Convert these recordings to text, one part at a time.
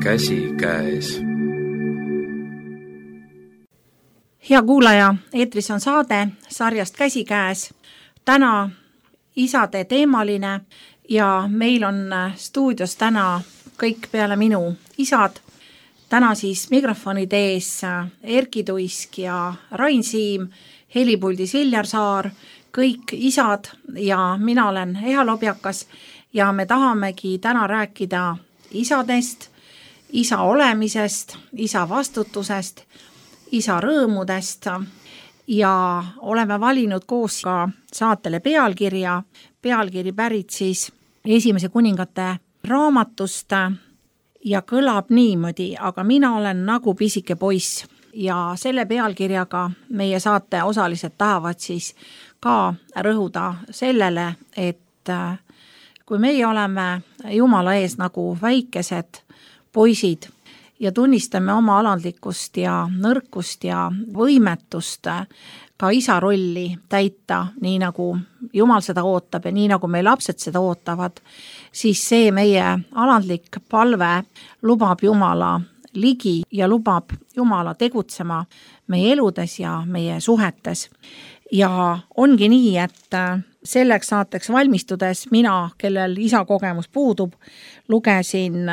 käsikäes. Hea kuulaja, eetris on saade sarjast Käsikäes. Täna isade teemaline ja meil on stuudios täna kõik peale minu isad. Täna siis mikrofonide ees Erki Tuisk ja Rain Siim, helipuldis Viljar Saar, kõik isad ja mina olen Eha Lobjakas ja me tahamegi täna rääkida isadest, isa olemisest, isa vastutusest, isa rõõmudest ja oleme valinud koos ka saatele pealkiri pärit siis Esimese kuningate raamatust ja kõlab niimoodi, aga mina olen nagu pisike poiss ja selle pealkirjaga meie saate osalised tahavad siis ka rõhuda sellele, et kui meie oleme Jumala ees nagu väikesed poisid ja tunnistame oma alandlikkust ja nõrkust ja võimetust ka isa rolli täita, nii nagu Jumal seda ootab ja nii nagu meie lapsed seda ootavad, siis see meie alandlik palve lubab Jumala ligi ja lubab Jumala tegutsema meie eludes ja meie suhetes. Ja ongi nii, et selleks saateks valmistudes mina, kellel isa kogemus puudub, lugesin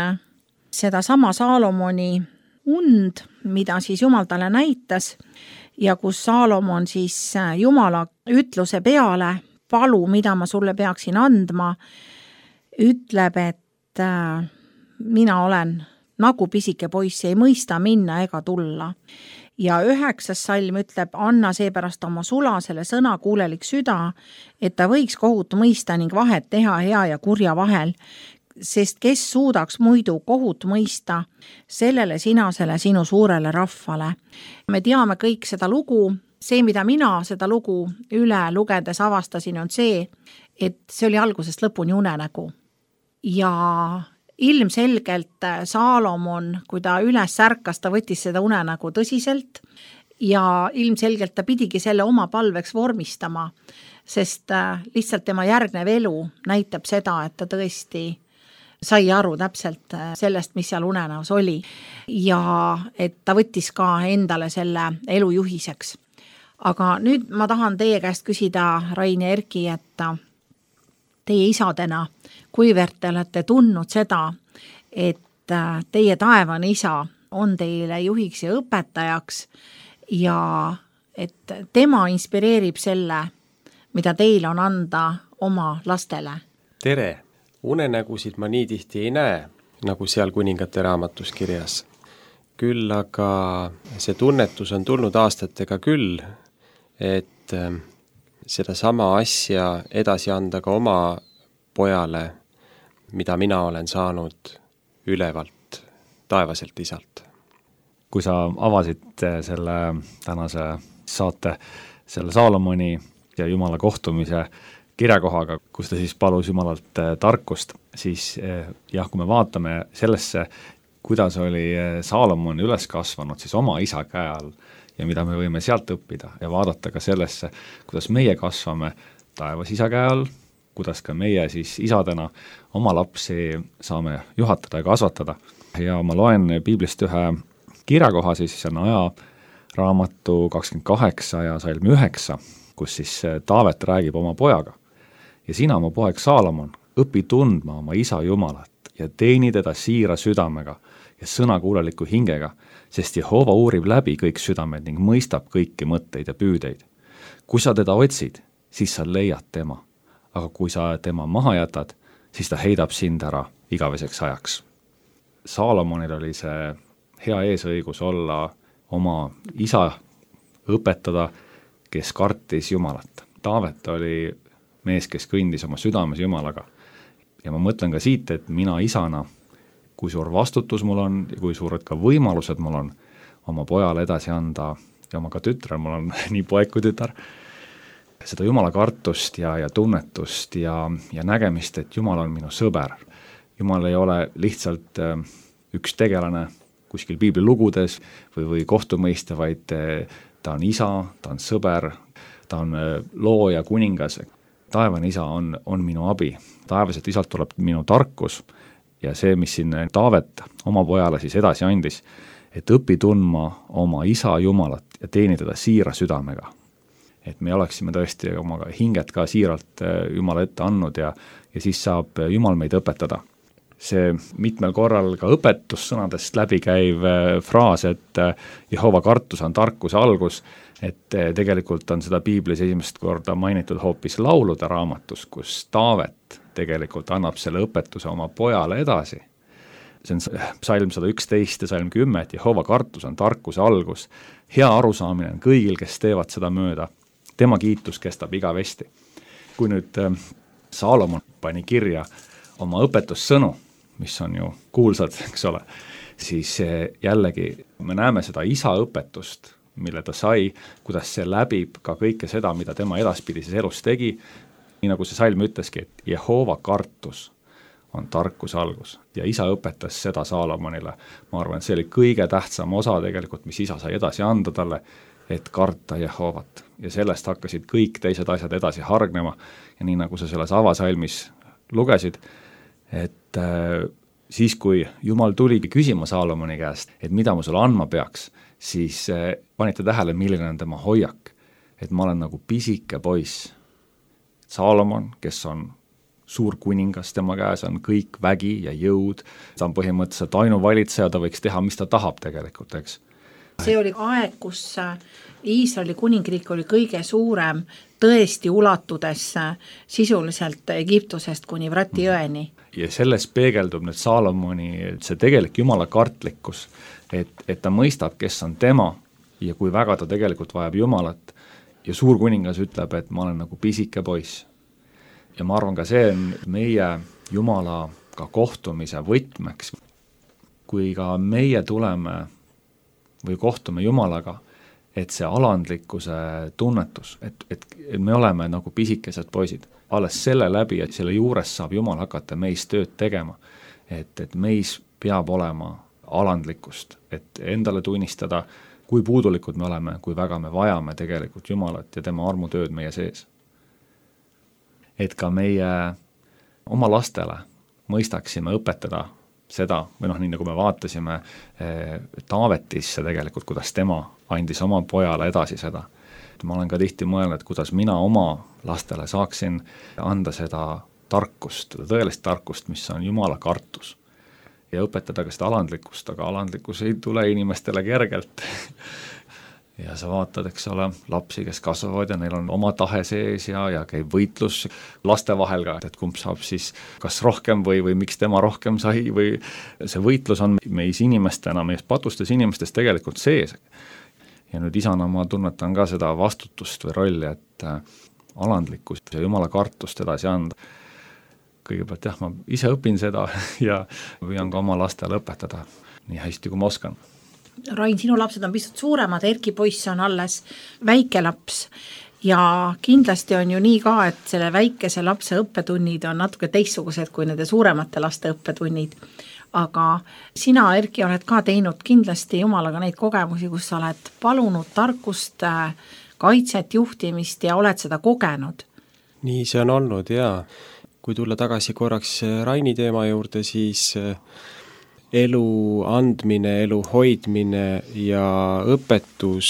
seda sama Saalomoni und, mida siis Jumal talle näitas ja kus Saalomon siis Jumala ütluse peale, palu, mida ma sulle peaksin andma, ütleb, et mina olen nagu pisike poiss, ei mõista minna ega tulla. Ja 9. salm ütleb, anna seepärast oma sulasele sõna kuulelik süda, et ta võiks kohut mõista ning vahet teha hea ja kurja vahel, sest kes suudaks muidu kohut mõista sellele sinasele sinu suurele rahvale. Me teame kõik seda lugu, see, mida mina seda lugu üle lugedes avastasin, on see, et see oli algusest lõpuni unenägu. Ja ilmselgelt Saalomon, kui ta üles ärkas, ta võttis seda unenägu tõsiselt ja ilmselgelt ta pidigi selle oma palveks vormistama, sest lihtsalt tema järgnev elu näitab seda, et ta tõesti sai aru täpselt sellest, mis seal unenäos oli ja et ta võttis ka endale selle elu juhiseks. Aga nüüd ma tahan teie käest küsida, Rain ja Erki, et teie isadena, kuivõrd te olete tundnud seda, et teie taevane isa on teile juhiks ja õpetajaks ja et tema inspireerib selle, mida teil on anda oma lastele. Tere! Unenägusid ma nii tihti ei näe, nagu seal kuningate raamatus kirjas. Küll aga see tunnetus on tulnud aastatega küll, et seda sama asja edasi anda ka oma pojale, mida mina olen saanud ülevalt, taevaselt isalt. Kui sa avasid selle tänase saate, selle Saalomoni ja Jumala kohtumise kirjakohaga, kus ta siis palus Jumalalt tarkust, siis jah, kui me vaatame sellesse, kuidas oli Saalomon üles kasvanud siis oma isa käe all ja mida me võime sealt õppida ja vaadata ka sellesse, kuidas meie kasvame taevas isa käe all, kuidas ka meie siis isadena oma lapsi saame juhatada ja kasvatada. Ja ma loen Piiblist ühe kirjakoha, siis on Aja raamatu 28 ja salm 9, kus siis Taavet räägib oma pojaga. Ja sina, mu poeg Saalomon, õpi tundma oma isa Jumalat ja teeni teda siira südamega ja sõnakuuleliku hingega, sest Jehova uurib läbi kõik südamed ning mõistab kõiki mõtteid ja püüdeid. Kui sa teda otsid, siis sa leiad tema, aga kui sa tema maha jätad, siis ta heidab sind ära igaveseks ajaks. Saalomonil oli see hea eesõigus olla oma isa õpetada, kes kartis Jumalat. Taavet oli mees, kes kõndis oma südames Jumalaga. Ja ma mõtlen ka siit, et mina isana, kui suur vastutus mul on ja kui suured ka võimalused mul on oma pojale edasi anda ja oma ka tütrel, mul on nii poeg kui tütar, seda Jumala kartust ja tunnetust ja nägemist, et Jumal on minu sõber. Jumal ei ole lihtsalt üks tegelane kuskil piibli lugudes või kohtumõiste, vaid ta on isa, ta on sõber, ta on looja, kuningas. Taevane isa on minu abi. Taevaselt isalt tuleb minu tarkus ja see, mis siin Taavet oma pojale siis edasi andis, et õpi tundma oma isa Jumalat ja teeni teda siira südamega. Et me oleksime tõesti oma hinget ka siiralt Jumala ette andnud ja siis saab Jumal meid õpetada. See mitmel korral ka õpetussõnadest läbikäiv fraas, et Jehova kartus on tarkuse algus, et tegelikult on seda Piiblis esimest korda mainitud hoopis laulude raamatus, kus Taavet tegelikult annab selle õpetuse oma pojale edasi. See on psalm 111 ja psalm 10, et Jehova kartus on tarkuse algus. Hea arusaamine on kõigil, kes teevad seda mööda. Tema kiitus kestab igavesti. Kui nüüd Saalomon pani kirja oma õpetussõnu, mis on ju kuulsad, eks ole, siis jällegi me näeme seda isa õpetust, mille ta sai, kuidas see läbib ka kõike seda, mida tema edaspidises elus tegi, nii nagu see salm ütleski, et Jehova kartus on tarkuse algus ja isa õpetas seda Saalomonile. Ma arvan, et see oli kõige tähtsam osa tegelikult, mis isa sai edasi anda talle, et karta Jehovat. Ja sellest hakkasid kõik teised asjad edasi hargnema ja nii nagu sa selles avasalmis lugesid, et siis kui Jumal tuligi küsima Saalomoni käest, et mida ma sulle andma peaks, siis panite tähele, milline on tema hoiak, et ma olen nagu pisike poiss. Saalomon, kes on suur kuningas, tema käes on kõik vägi ja jõud, ta on põhimõtteliselt ainuvalitseja, ta võiks teha, mis ta tahab tegelikult, eks. See oli aeg, kus Iisraeli kuningriik oli kõige suurem, tõesti ulatudes sisuliselt Egiptusest kuni Vrati jõeni. Ja selles peegeldub nüüd Saalomoni see tegelik Jumala kartlikkus, et ta mõistab, kes on tema ja kui väga ta tegelikult vajab Jumalat ja suur kuningas ütleb, et ma olen nagu pisike poiss. Ja ma arvan ka see on meie Jumalaga kohtumise võtmeks. Kui ka meie tuleme või kohtume Jumalaga, et see alandlikkuse tunnetus, et me oleme nagu pisikesed poisid. Alles selle läbi, et selle juures saab Jumal hakata meis tööd tegema. Et meis peab olema alandlikkust, et endale tunnistada, kui puudulikud me oleme, kui väga me vajame tegelikult Jumalat ja tema armutööd meie sees. Et ka meie oma lastele mõistaksime õpetada seda, või nii nagu me vaatasime Taavetisse tegelikult, kuidas tema andis oma pojale edasi seda. Ma olen ka tihti mõelnud, kuidas mina oma lastele saaksin anda seda tarkust, tõelist tarkust, mis on Jumala kartus. Ja õpetada ka seda alandlikkust, aga alandlikkus ei tule inimestele kergelt. Ja sa vaatad, eks ole, lapsi, kes kasvavad ja neil on oma tahe sees ja käib võitlus laste vahel ka, et kumb saab siis kas rohkem või miks tema rohkem sai või see võitlus on meis inimestena, meis patustes inimestes tegelikult sees. Ja nüüd isana ma tunnetan ka seda vastutust või rolli, et alandlikkust ja Jumala kartust edasi anda. Kõigepealt jah, ma ise õpin seda ja püüan ka oma lastele õpetada nii hästi, kui ma oskan. Rain, sinu lapsed on pisut suuremad, Erki poiss on alles väike laps ja kindlasti on ju nii ka, et selle väikese lapse õppetunnid on natuke teistsugused kui nende suuremate laste õppetunnid. Aga sina, Erki, oled ka teinud kindlasti Jumalaga neid kogemusi, kus sa oled palunud tarkust, kaitset, juhtimist ja oled seda kogenud. Nii see on olnud, jaa. Kui tulla tagasi korraks Raini teema juurde, siis elu andmine, elu hoidmine ja õpetus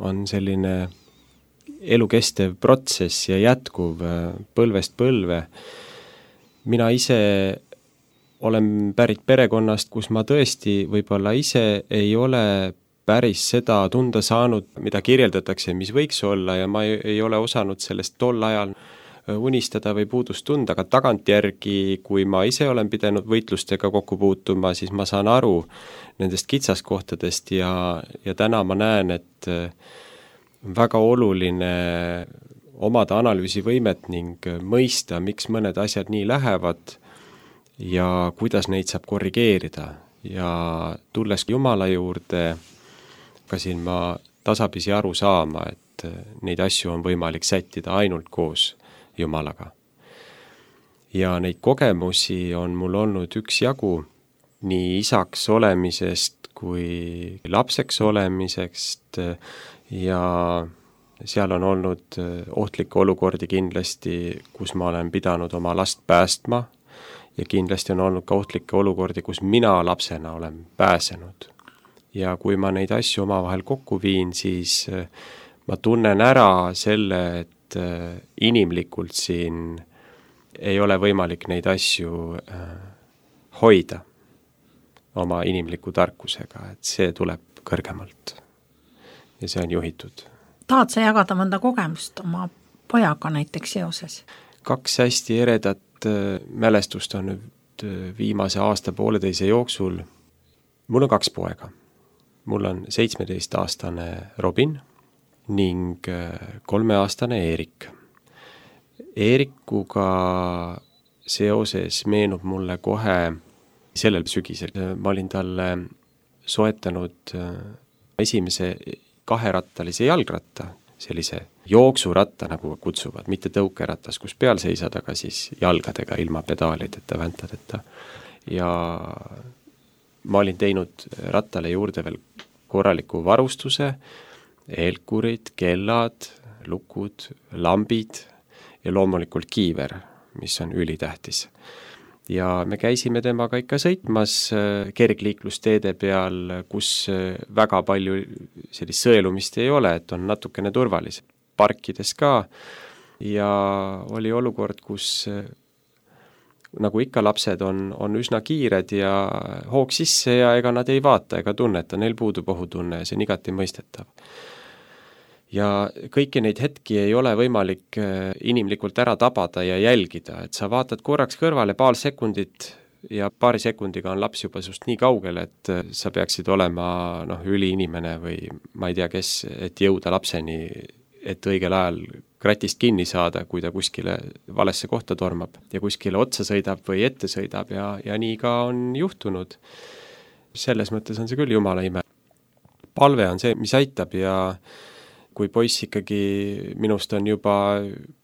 on selline elukestev protsess ja jätkuv põlvest põlve. Mina ise olen pärit perekonnast, kus ma tõesti võib-olla ise ei ole päris seda tunda saanud, mida kirjeldatakse, mis võiks olla ja ma ei ole osanud sellest tol ajal unistada või puudust tunda, aga tagantjärgi, kui ma ise olen pidanud võitlustega kokku puutuma, siis ma saan aru nendest kitsaskohtadest ja täna ma näen, et väga oluline omada analüüsivõimet ning mõista, miks mõned asjad nii lähevad ja kuidas neid saab korrigeerida. Ja tulles Jumala juurde, hakkasin ma tasapisi aru saama, et neid asju on võimalik sättida ainult koos Jumalaga. Ja neid kogemusi on mul olnud üksjagu nii isaks olemisest kui lapseks olemisest ja seal on olnud ohtlikke olukordi kindlasti, kus ma olen pidanud oma last päästma ja kindlasti on olnud ka ohtlikke olukordi, kus mina lapsena olen pääsenud. Ja kui ma neid asju omavahel kokku viin, siis ma tunnen ära selle, et inimlikult siin ei ole võimalik neid asju hoida oma inimliku tarkusega, et see tuleb kõrgemalt ja see on juhitud. Tahad sa jagada mõnda kogemust oma pojaga näiteks seoses? 2 hästi eredat mälestust on nüüd viimase aasta-pooleteise jooksul. Mul on 2 poega. Mul on 17-aastane Robin ning 3-aastane Eerik. Eerikuga seoses meenub mulle kohe sellel sügisel. Ma olin talle soetanud esimese 2-rattalise jalgratta, sellise jooksuratta, nagu kutsuvad, mitte tõukeratas, kus peal seisad, aga siis jalgadega ilma pedaalideta, väntadeta. Ja ma olin teinud rattale juurde veel korraliku varustuse, eelkurid, kellad, lukud, lambid ja loomulikult kiiver, mis on ülitähtis. Ja me käisime temaga ikka sõitmas kergliiklusteede peal, kus väga palju sellist sõelumist ei ole, et on natukene turvalised. Parkides ka ja oli olukord, kus nagu ikka lapsed on üsna kiired ja hoog sisse ja ega nad ei vaata ega tunneta, neil puudub ohutunne ja see on igati mõistetav. Ja kõiki neid hetki ei ole võimalik inimlikult ära tabada ja jälgida, et sa vaatad korraks kõrvale paar sekundit ja paari sekundiga on laps juba sust nii kaugel, et sa peaksid olema üliinimene või ma ei tea kes, et jõuda lapseni, et õigel ajal kratist kinni saada, kui ta kuskile valesse kohta tormab ja kuskile otsa sõidab või ette sõidab ja nii ka on juhtunud. Selles mõttes on see küll jumala ime. Palve on see, mis aitab ja kui poiss ikkagi minust on juba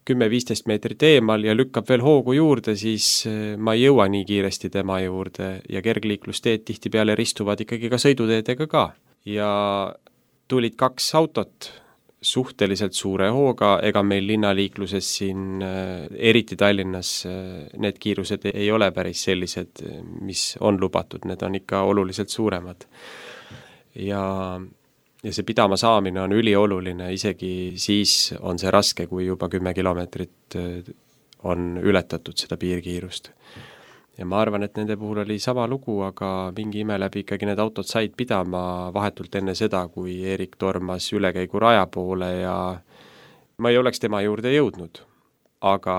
10-15 meetrit eemal ja lükkab veel hoogu juurde, siis ma ei jõua nii kiiresti tema juurde ja kergliiklusteed tihtipeale ristuvad ikkagi ka sõiduteedega ka. Ja tulid 2 autot suhteliselt suure hooga, ega meil linnaliikluses siin, eriti Tallinnas, need kiirused ei ole päris sellised, mis on lubatud, need on ikka oluliselt suuremad. Ja see pidama saamine on ülioluline, isegi siis on see raske, kui juba 10 kilomeetrit on ületatud seda piirkiirust. Ja ma arvan, et nende puhul oli sama lugu, aga mingi ime läbi ikkagi need autod said pidama vahetult enne seda, kui Eerik tormas ülekäigu raja poole ja ma ei oleks tema juurde jõudnud. Aga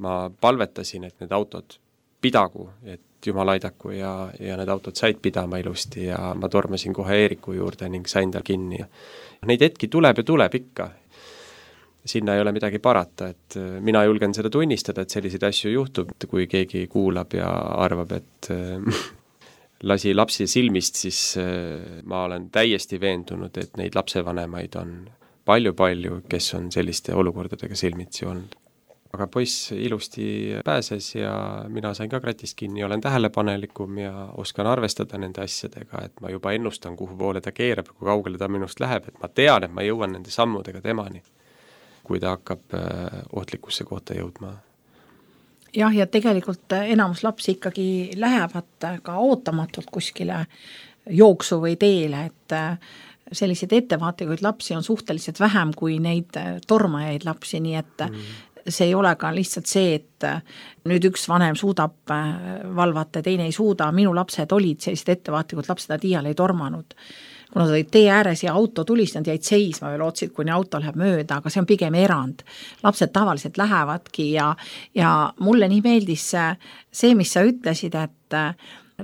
ma palvetasin, et need autod pidagu, et Jumal aidaku ja need autod said pidama ilusti ja ma tormasin kohe Eeriku juurde ning sain tal kinni. Neid hetki tuleb ja tuleb ikka. Sinna ei ole midagi parata, et mina julgen seda tunnistada, et selliseid asju juhtub, kui keegi kuulab ja arvab, et lasi lapsi silmist, siis ma olen täiesti veendunud, et neid lapsevanemaid on palju-palju, kes on selliste olukordadega silmitsi olnud. Aga poiss ilusti pääses ja mina sain ka kratist kinni, olen tähelepanelikum ja oskan arvestada nende asjadega, et ma juba ennustan, kuhu poole ta keerab, kui kaugele ta minust läheb, et ma tean, et ma jõuan nende sammudega temani, kui ta hakkab ohtlikusse kohta jõudma. Jah, ja tegelikult enamus lapsi ikkagi lähevad ka ootamatult kuskile jooksu või teele, et selliseid ettevaatikuid lapsi on suhteliselt vähem kui neid tormajaid lapsi, nii et see ei ole ka lihtsalt see, et nüüd üks vanem suudab valvata, teine ei suuda. Minu lapsed olid sellised ettevaatlikud lapsed, nad iial ei tormanud. Kui nad olid tee ääres ja auto tulis, nad jäid seisma või lootsid, kuni auto läheb mööda, aga see on pigem erand. Lapsed tavaliselt lähevadki ja mulle nii meeldis see, mis sa ütlesid, et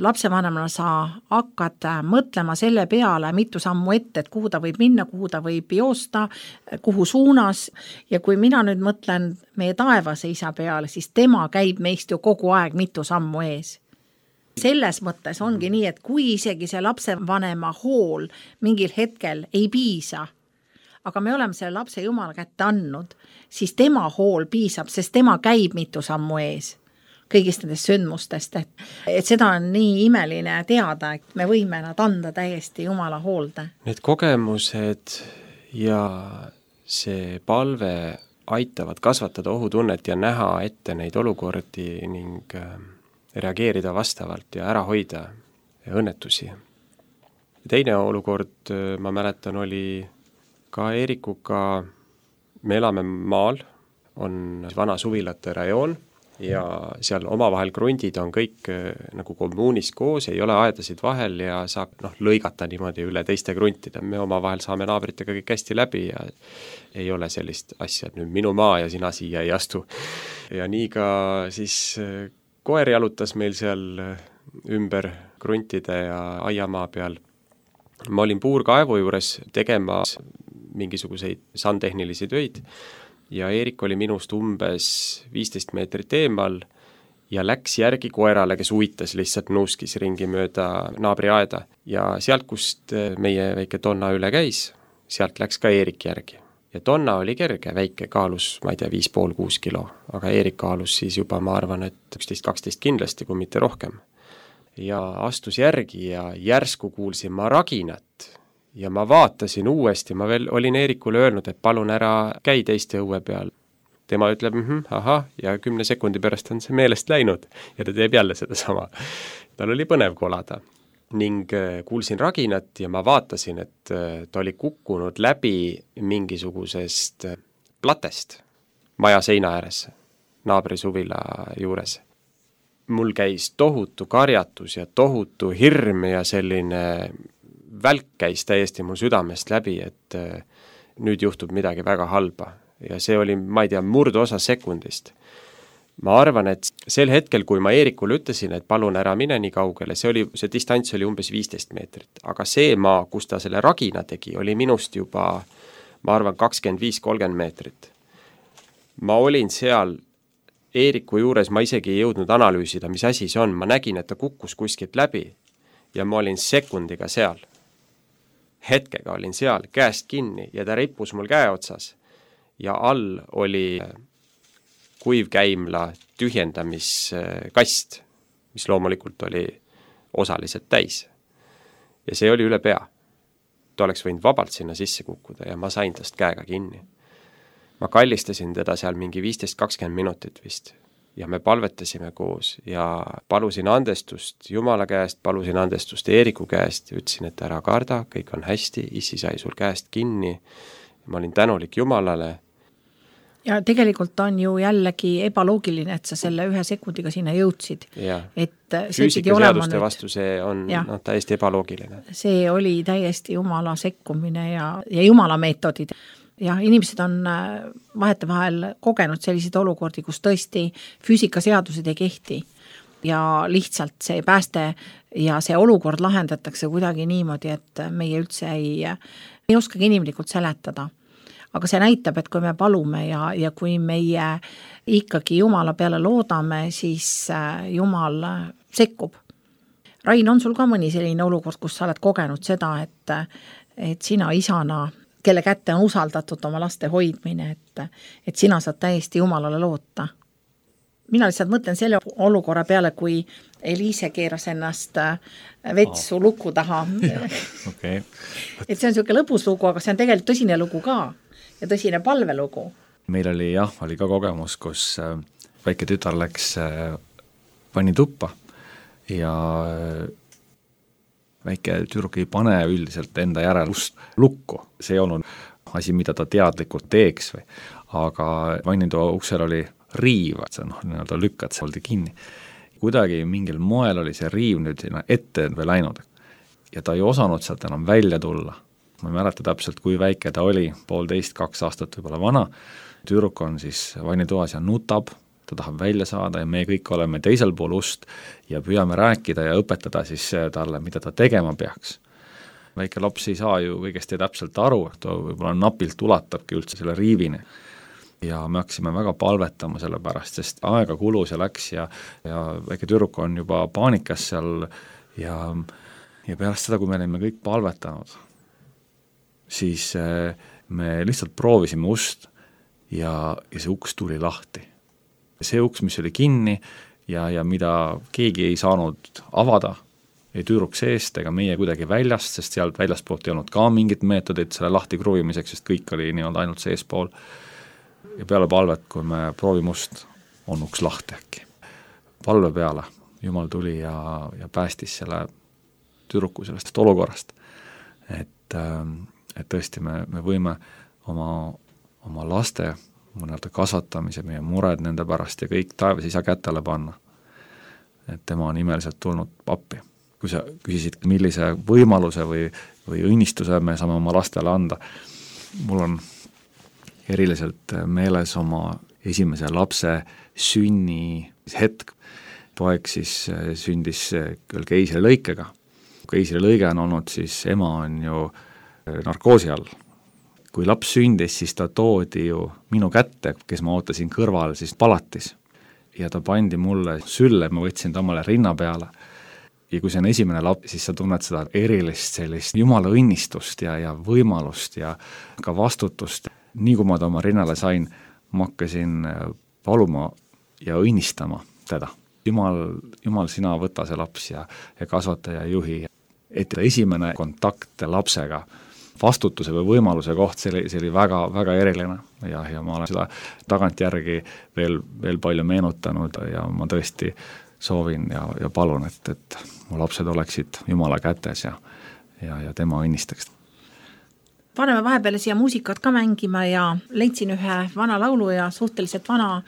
lapsevanemana sa hakkad mõtlema selle peale mitu sammu ette, et kuhu ta võib minna, kuhu ta võib joosta, kuhu suunas ja kui mina nüüd mõtlen meie taevase isa peale, siis tema käib meist ju kogu aeg mitu sammu ees. Selles mõttes ongi nii, et kui isegi see lapsevanema hool mingil hetkel ei piisa, aga me oleme selle lapse Jumala kätte andnud, siis tema hool piisab, sest tema käib mitu sammu ees kõigist nendest sündmustest, et seda on nii imeline teada, et me võime nad anda täiesti Jumala hoolde. Need kogemused ja see palve aitavad kasvatada ohutunnet ja näha ette neid olukordi ning reageerida vastavalt ja ära hoida õnnetusi. Teine olukord, ma mäletan, oli ka Eerikuga, me elame maal, on vana suvilate rajoon ja seal omavahel krundid on kõik nagu kommuunis koos, ei ole aedasid vahel ja saab lõigata niimoodi üle teiste kruntide. Me omavahel saame naabritega kõik hästi läbi ja ei ole sellist asja, et nüüd minu maa ja sina siia ei astu. Ja nii ka siis koer jalutas meil seal ümber kruntide ja aiamaa peal. Ma olin puurkaevu juures tegemas mingisuguseid sandtehnilisi töid ja Eerik oli minust umbes 15 meetrit eemal ja läks järgi koerale, kes uitas lihtsalt nuuskis ringi mööda naabri aeda. Ja sealt, kust meie väike Donna üle käis, sealt läks ka Eerik järgi. Ja Donna oli kerge, väike, kaalus, ma ei tea, 5,5-6 kilo, aga Eerik kaalus siis juba, ma arvan, et 11-12 kindlasti, kui mitte rohkem. Ja astus järgi ja järsku kuulsin ma raginat ja ma vaatasin uuesti, ma veel olin Eerikule öelnud, et palun ära käi teiste õue peal. Tema ütleb, ahah, ja 10 sekundi pärast on see meelest läinud ja ta teeb jälle seda sama. Tal oli põnev kolada ning kuulsin raginat ja ma vaatasin, et ta oli kukkunud läbi mingisugusest platest maja seina ääres, naabri suvila juures. Mul käis tohutu karjatus ja tohutu hirm ja selline välk käis täiesti mul südamest läbi, et nüüd juhtub midagi väga halba. Ja see oli, ma ei tea, murdosa sekundist. Ma arvan, et sel hetkel, kui ma Eerikule ütlesin, et palun ära mine nii kaugele, see distants oli umbes 15 meetrit. Aga see maa, kus ta selle ragina tegi, oli minust juba, ma arvan, 25-30 meetrit. Ma olin seal Eeriku juures, ma isegi ei jõudnud analüüsida, mis asi see on. Ma nägin, et ta kukkus kuskilt läbi ja ma olin sekundiga seal. Hetkega olin seal, käest kinni ja ta rippus mul käe otsas. Ja all oli kuivkäimla tühjendamiskast, mis loomulikult oli osaliselt täis. Ja see oli üle pea. Ta oleks võinud vabalt sinna sisse kukkuda ja ma sain tast käega kinni. Ma kallistasin teda seal mingi 15-20 minutit vist ja me palvetasime koos ja palusin andestust Jumala käest, palusin andestust Eeriku käest ja ütlesin, et ära karda, kõik on hästi, issi sai sul käest kinni. Ma olin tänulik Jumalale. Ja tegelikult on ju jällegi ebaloogiline, et sa selle 1 sekundiga sinna jõudsid. Et füüsikaseaduste vastu see on täiesti ebaloogiline. See oli täiesti Jumala sekkumine ja Jumala meetodid. Ja inimesed on vahetevahel kogenud selliseid olukordi, kus tõesti füüsikaseadused ei kehti ja lihtsalt see pääste ja see olukord lahendatakse kuidagi niimoodi, et meie üldse ei oskagi inimlikult seletada. Aga see näitab, et kui me palume ja kui meie ikkagi Jumala peale loodame, siis Jumal sekkub. Rain, on sul ka mõni selline olukord, kus sa oled kogenud seda, et sina isana, kelle kätte on usaldatud oma laste hoidmine, et sina saad täiesti Jumalale loota? Mina lihtsalt mõtlen selle olukorra peale, kui Eliise keeras ennast vetsu luku taha. Okay. Et see on selline lõbus lugu, aga see on tegelikult tõsine lugu ka ja tõsine palvelugu. Meil oli ka kogemus, kus väike tütar läks pani tuppa ja väike tüdruk ei pane üldiselt enda järel lukku. See ei olnud asi, mida ta teadlikult teeks, aga vannitoa uksel oli riiv, et sa lükkad, see oldi kinni. Kuidagi mingil moel oli see riiv nüüd ette või läinud ja ta ei osanud sealt enam välja tulla. Ma ei mäleta täpselt, kui väike ta oli, 1,5-2 aastat võib-olla vana. Tüdruk on siis vannitoas ja nutab, ta tahab välja saada ja me kõik oleme teisel pool ust ja püüame rääkida ja õpetada siis talle, mida ta tegema peaks. Väike laps ei saa ju kõigest täpselt aru, ta võib-olla napilt ulatabki üldse selle riivini. Ja me hakkasime väga palvetama selle pärast, sest aega kulus ja läks ja väike tüdruk on juba paanikas seal ja pärast seda, kui me olime kõik palvetanud, siis me lihtsalt proovisime ust ja see uks tuli lahti. See uks, mis oli kinni ja mida keegi ei saanud avada, ei tüdruk seest ega meie kuidagi väljast, sest sealt väljaspoolt ei olnud ka mingit meetodit selle lahti kruvimiseks, sest kõik oli ainult seespool. Ja peale palvet, kui me proovime ust, on uks lahti äkki. Palve peale Jumal tuli ja päästis selle tüdruku sellest olukorrast. Et tõesti me võime oma laste kasvatamise, meie mured nende pärast ja kõik taevas isa kätele panna. Et tema on imeliselt tulnud appi. Kui sa küsisid, millise võimaluse või õnnistuse me saame oma lastele anda, mul on eriliselt meeles oma esimese lapse sünni hetk. Poeg siis sündis küll keisrilõikega. Keisrilõige on olnud, siis ema on ju narkoosi all. Kui laps sündis, siis ta toodi ju minu kätte, kes ma ootasin kõrval, siis palatis. Ja ta pandi mulle sülle, ma võtsin ta omale rinna peale. Ja kui see on esimene laps, siis sa tunned seda erilist sellist jumala õnnistust ja võimalust ja ka vastutust. Nii kui ma ta oma rinnale sain, ma hakkasin paluma ja õnnistama teda. Jumal, sina võta see laps ja kasvata ja juhi. Et esimene kontakt lapsega, vastutuse või võimaluse koht, see oli väga, väga eriline ja ma olen seda tagantjärgi veel palju meenutanud ja ma tõesti soovin ja palun, et mu lapsed oleksid Jumala kätes ja tema õnnistaks. Paneme vahepeale siia muusikat ka mängima ja leidsin ühe vana laulu ja suhteliselt vana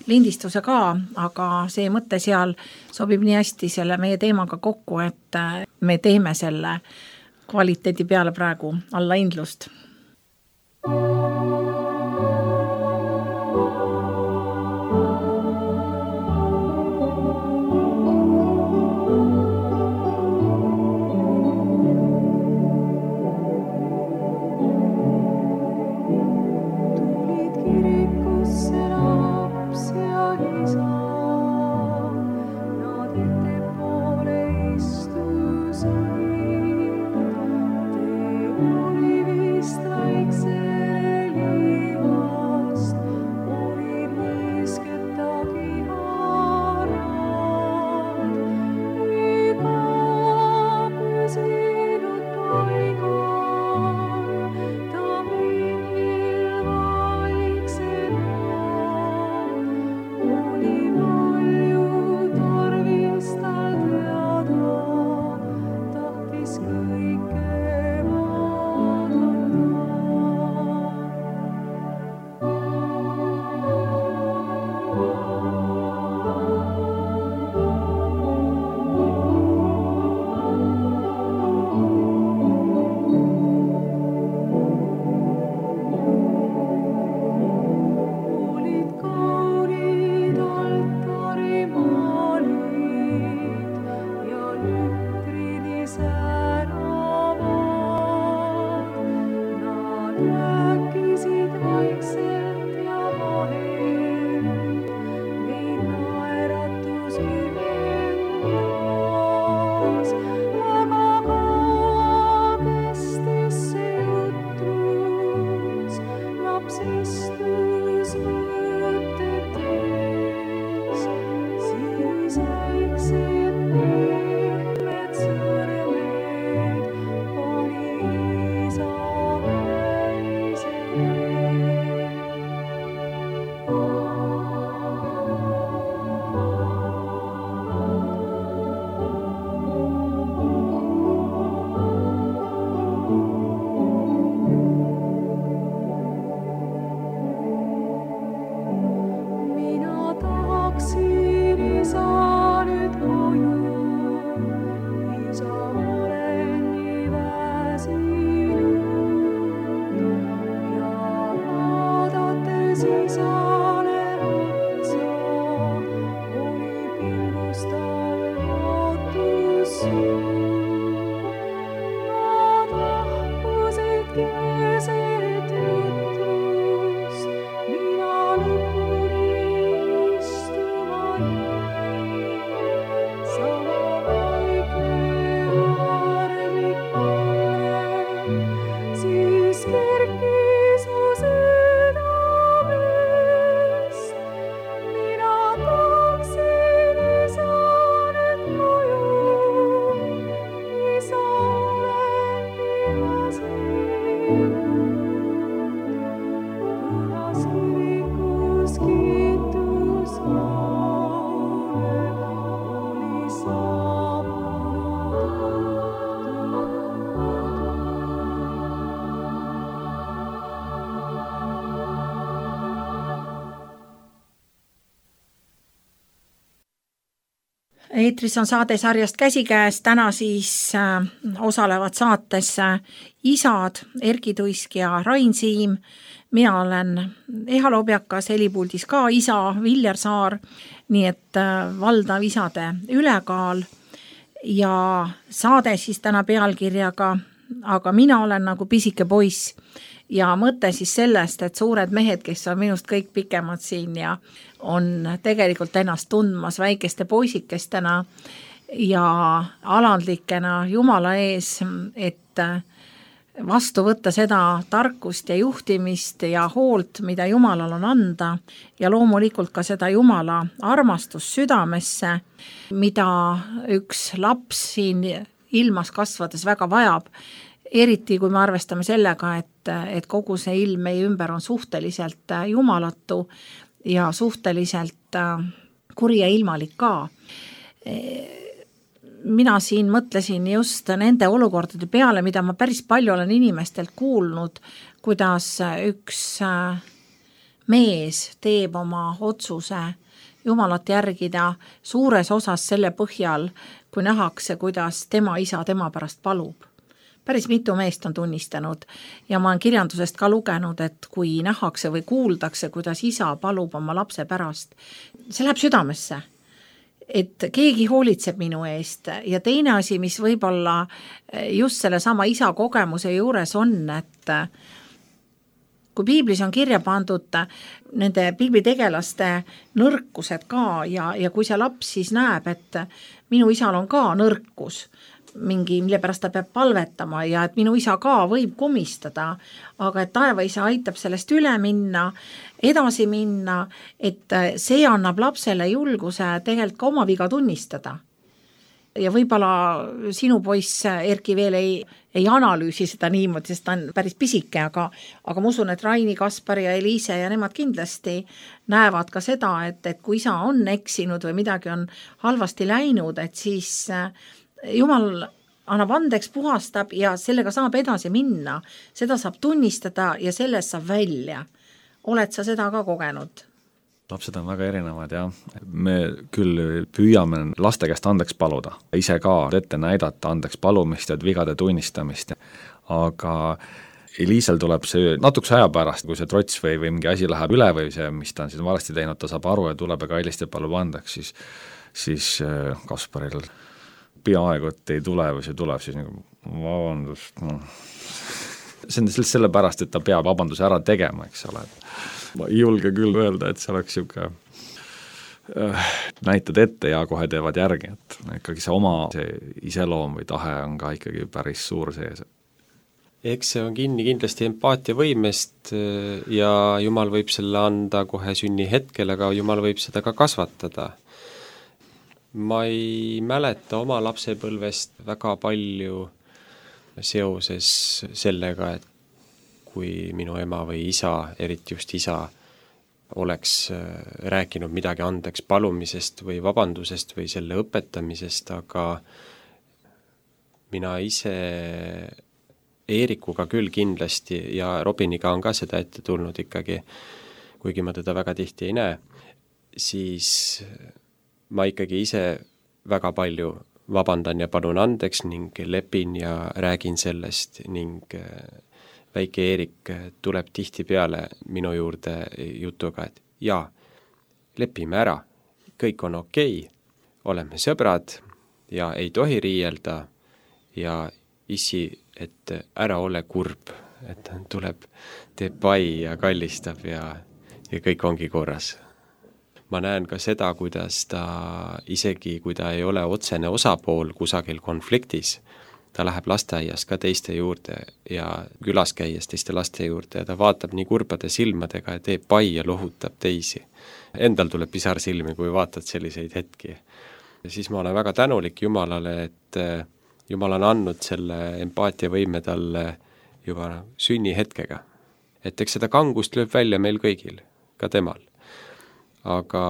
lindistuse ka, aga see mõte seal sobib nii hästi selle meie teemaga kokku, et me teeme selle kvaliteedi peale praegu alla indlust. eetris on saade sarjast Käsikäes, täna siis osalevad saates isad Erki Tuisk ja Rain Siim. Mina olen Eha Lobjakas, helipuldis ka isa Viljar Saar, nii et valdav isade ülekaal ja saade siis täna pealkirjaga Aga mina olen nagu pisike poiss ja mõte siis sellest, et suured mehed, kes on minust kõik pikemad siin ja on tegelikult ennast tundmas väikeste poisikestena ja alandlikena Jumala ees, et vastu võtta seda tarkust ja juhtimist ja hoolt, mida Jumalal on anda ja loomulikult ka seda Jumala armastust südamesse, mida üks laps siin ilmas kasvades väga vajab, eriti kui me arvestame sellega, et kogu see ilm meie ümber on suhteliselt jumalatu ja suhteliselt kuri ja ilmalik ka. Mina siin mõtlesin just nende olukordade peale, mida ma päris palju olen inimestelt kuulnud, kuidas üks mees teeb oma otsuse Jumalat järgida suures osas selle põhjal, kui nähakse, kuidas tema isa tema pärast palub. Päris mitu meest on tunnistanud ja ma olen kirjandusest ka lugenud, et kui nähakse või kuuldakse, kuidas isa palub oma lapse pärast, see läheb südamesse, et keegi hoolitseb minu eest ja teine asi, mis võib-olla just selle sama isa kogemuse juures on, et kui piiblis on kirja pandud nende piiblitegelaste nõrkused ka ja kui see laps siis näeb, et minu isal on ka nõrkus, mille pärast ta peab palvetama ja et minu isa ka võib komistada, aga et taevaisa aitab sellest üle minna, edasi minna, et see annab lapsele julguse tegelikult ka oma viga tunnistada. Ja võib-olla sinu poiss Erki veel ei analüüsi seda niimoodi, sest ta on päris pisike, aga ma usun, et Raini, Kaspar ja Eliise ja nemad kindlasti näevad ka seda, et kui isa on eksinud või midagi on halvasti läinud, et siis Jumal annab andeks, puhastab ja sellega saab edasi minna. Seda saab tunnistada ja sellest saab välja. Oled sa seda ka kogenud? Lapsed on väga erinevad ja me küll püüame laste käest andeks paluda, ise ka ette näidata andeks palumist ja vigade tunnistamist, aga Eliisel tuleb see natukese aja pärast, kui see trots või mingi asi läheb üle või see, mis ta on siis valesti teinud, ta saab aru ja tuleb ja kallist ja palub andeks, siis Kasparil peaaegu, et ei tule või see tuleb siis nagu vabandust, see on sellepärast, et ta peab vabanduse ära tegema, eks ole. Ma ei julge küll öelda, et see oleks siuke näitad ette ja kohe teevad järgi, et ikkagi see oma see iseloom või tahe on ka ikkagi päris suur sees. Eks see on kinni kindlasti empaatia võimest ja Jumal võib selle anda kohe sünni hetkel, aga Jumal võib seda ka kasvatada. Ma ei mäleta oma lapsepõlvest väga palju seoses sellega, et kui minu ema või isa, eriti just isa, oleks rääkinud midagi andeks palumisest või vabandusest või selle õpetamisest, aga mina ise Eerikuga küll kindlasti ja Robiniga on ka seda ette tulnud ikkagi, kuigi ma teda väga tihti ei näe, siis ma ikkagi ise väga palju vabandan ja palun andeks ning lepin ja räägin sellest ning väike Eerik tuleb tihti peale minu juurde jutuga, et jaa, lepime ära, kõik on okei, oleme sõbrad ja ei tohi riielda ja issi, et ära ole kurb, et ta tuleb, teeb pai ja kallistab ja kõik ongi korras. Ma näen ka seda, kuidas ta isegi, kui ta ei ole otsene osapool kusagil konfliktis, ta läheb lasteaias ka teiste juurde ja külas käies teiste laste juurde ja ta vaatab nii kurbade silmadega ja teeb pai ja lohutab teisi. Endal tuleb pisar silmi, kui vaatad selliseid hetki. Ja siis ma olen väga tänulik Jumalale, et Jumal on andnud selle empaatiavõime talle juba sünni hetkega. Et eks seda kangust lööb välja meil kõigil, ka temal. Aga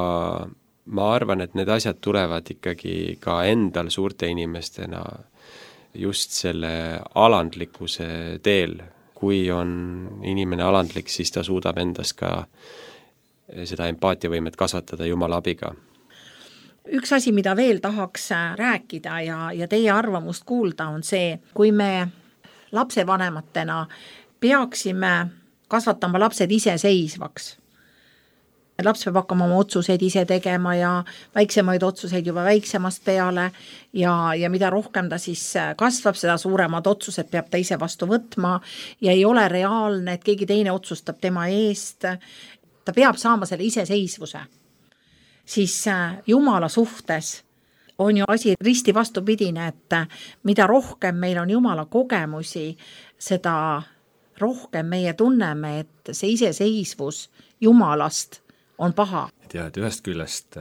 ma arvan, et need asjad tulevad ikkagi ka endal suurte inimestena just selle alandlikkuse teel. Kui on inimene alandlik, siis ta suudab endas ka seda empaatiavõimet kasvatada Jumala abiga. üks asi, mida veel tahaks rääkida ja teie arvamust kuulda, on see, kui me lapsevanematena peaksime kasvatama lapsed iseseisvaks. Laps peab hakkama oma otsuseid ise tegema ja väiksemaid otsuseid juba väiksemast peale ja mida rohkem ta siis kasvab, seda suuremad otsused peab ta ise vastu võtma ja ei ole reaalne, et keegi teine otsustab tema eest. Ta peab saama selle iseseisvuse. Siis Jumala suhtes on ju asi risti vastupidine, et mida rohkem meil on Jumala kogemusi, seda rohkem meie tunneme, et see iseseisvus Jumalast on paha. Et ühest küljest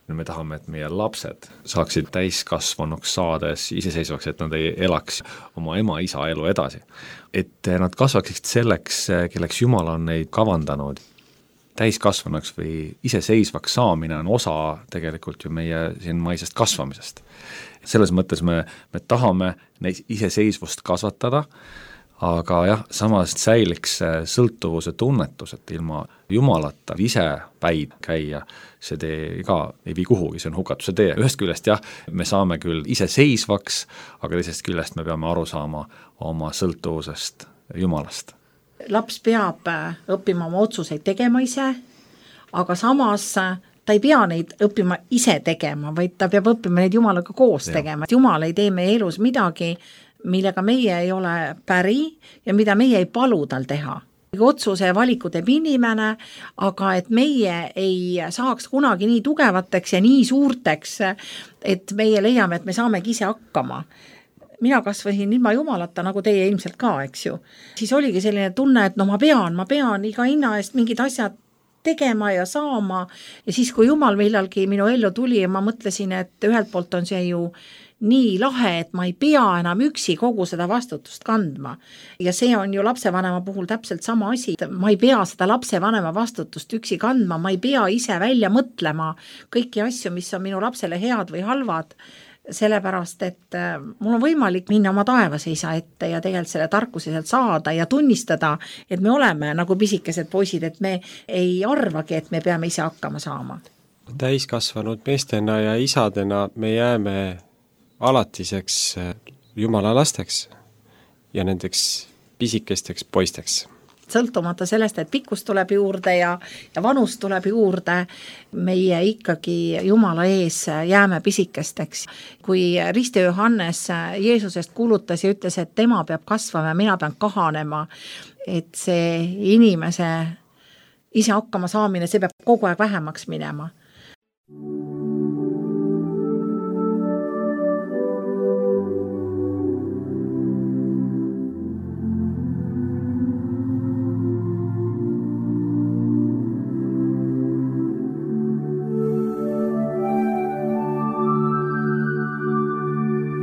me tahame, et meie lapsed saaksid täiskasvanuks saades iseseisvaks, et nad ei elaks oma ema-isa elu edasi. Et nad kasvaksid selleks, kelleks Jumal on neid kavandanud. Täiskasvanuks või iseseisvaks saamine on osa tegelikult ju meie siin maisest kasvamisest. Selles mõttes me tahame neid iseseisvust kasvatada, aga jah, samas säiliks sõltuvuse tunnetus, et ilma Jumalata ise päid käia, see tee ka ei vii kuhugi, see on hukatuse tee. Ühest küljest jah, me saame küll iseseisvaks, aga teisest küljest me peame aru saama oma sõltuvusest Jumalast. Laps peab õppima oma otsuseid tegema ise, aga samas ta ei pea neid õppima ise tegema, vaid ta peab õppima neid Jumalaga koos tegema. Jumal ei tee meie elus midagi, millega meie ei ole päri ja mida meie ei palu tal teha. Otsuse ja valiku teeb inimene, aga et meie ei saaks kunagi nii tugevateks ja nii suurteks, et meie leiame, et me saamegi ise hakkama. Mina kasvasin ilma Jumalata, nagu teie ilmselt ka, eks ju. Siis oligi selline tunne, et ma pean iga hinna eest mingid asjad tegema ja saama. Ja siis, kui Jumal millalgi minu ellu tuli ja ma mõtlesin, et ühelt poolt on see ju nii lahe, et ma ei pea enam üksi kogu seda vastutust kandma. Ja see on ju lapsevanema puhul täpselt sama asi. Ma ei pea seda lapsevanema vastutust üksi kandma, ma ei pea ise välja mõtlema kõiki asju, mis on minu lapsele head või halvad, sellepärast, et mul on võimalik minna oma taevaseisa ette ja tegelikult selle tarkuse sealt saada ja tunnistada, et me oleme nagu pisikesed poisid, et me ei arvagi, et me peame ise hakkama saama. Täiskasvanud meestena ja isadena me jääme alatiseks Jumala lasteks ja nendeks pisikesteks poisteks. Sõltumata sellest, et pikkus tuleb juurde ja vanus tuleb juurde, meie ikkagi Jumala ees jääme pisikesteks. Kui Risti Johannes Jeesusest kuulutas ja ütles, et tema peab kasvama ja mina pean kahanema, et see inimese ise hakkama saamine, see peab kogu aeg vähemaks minema.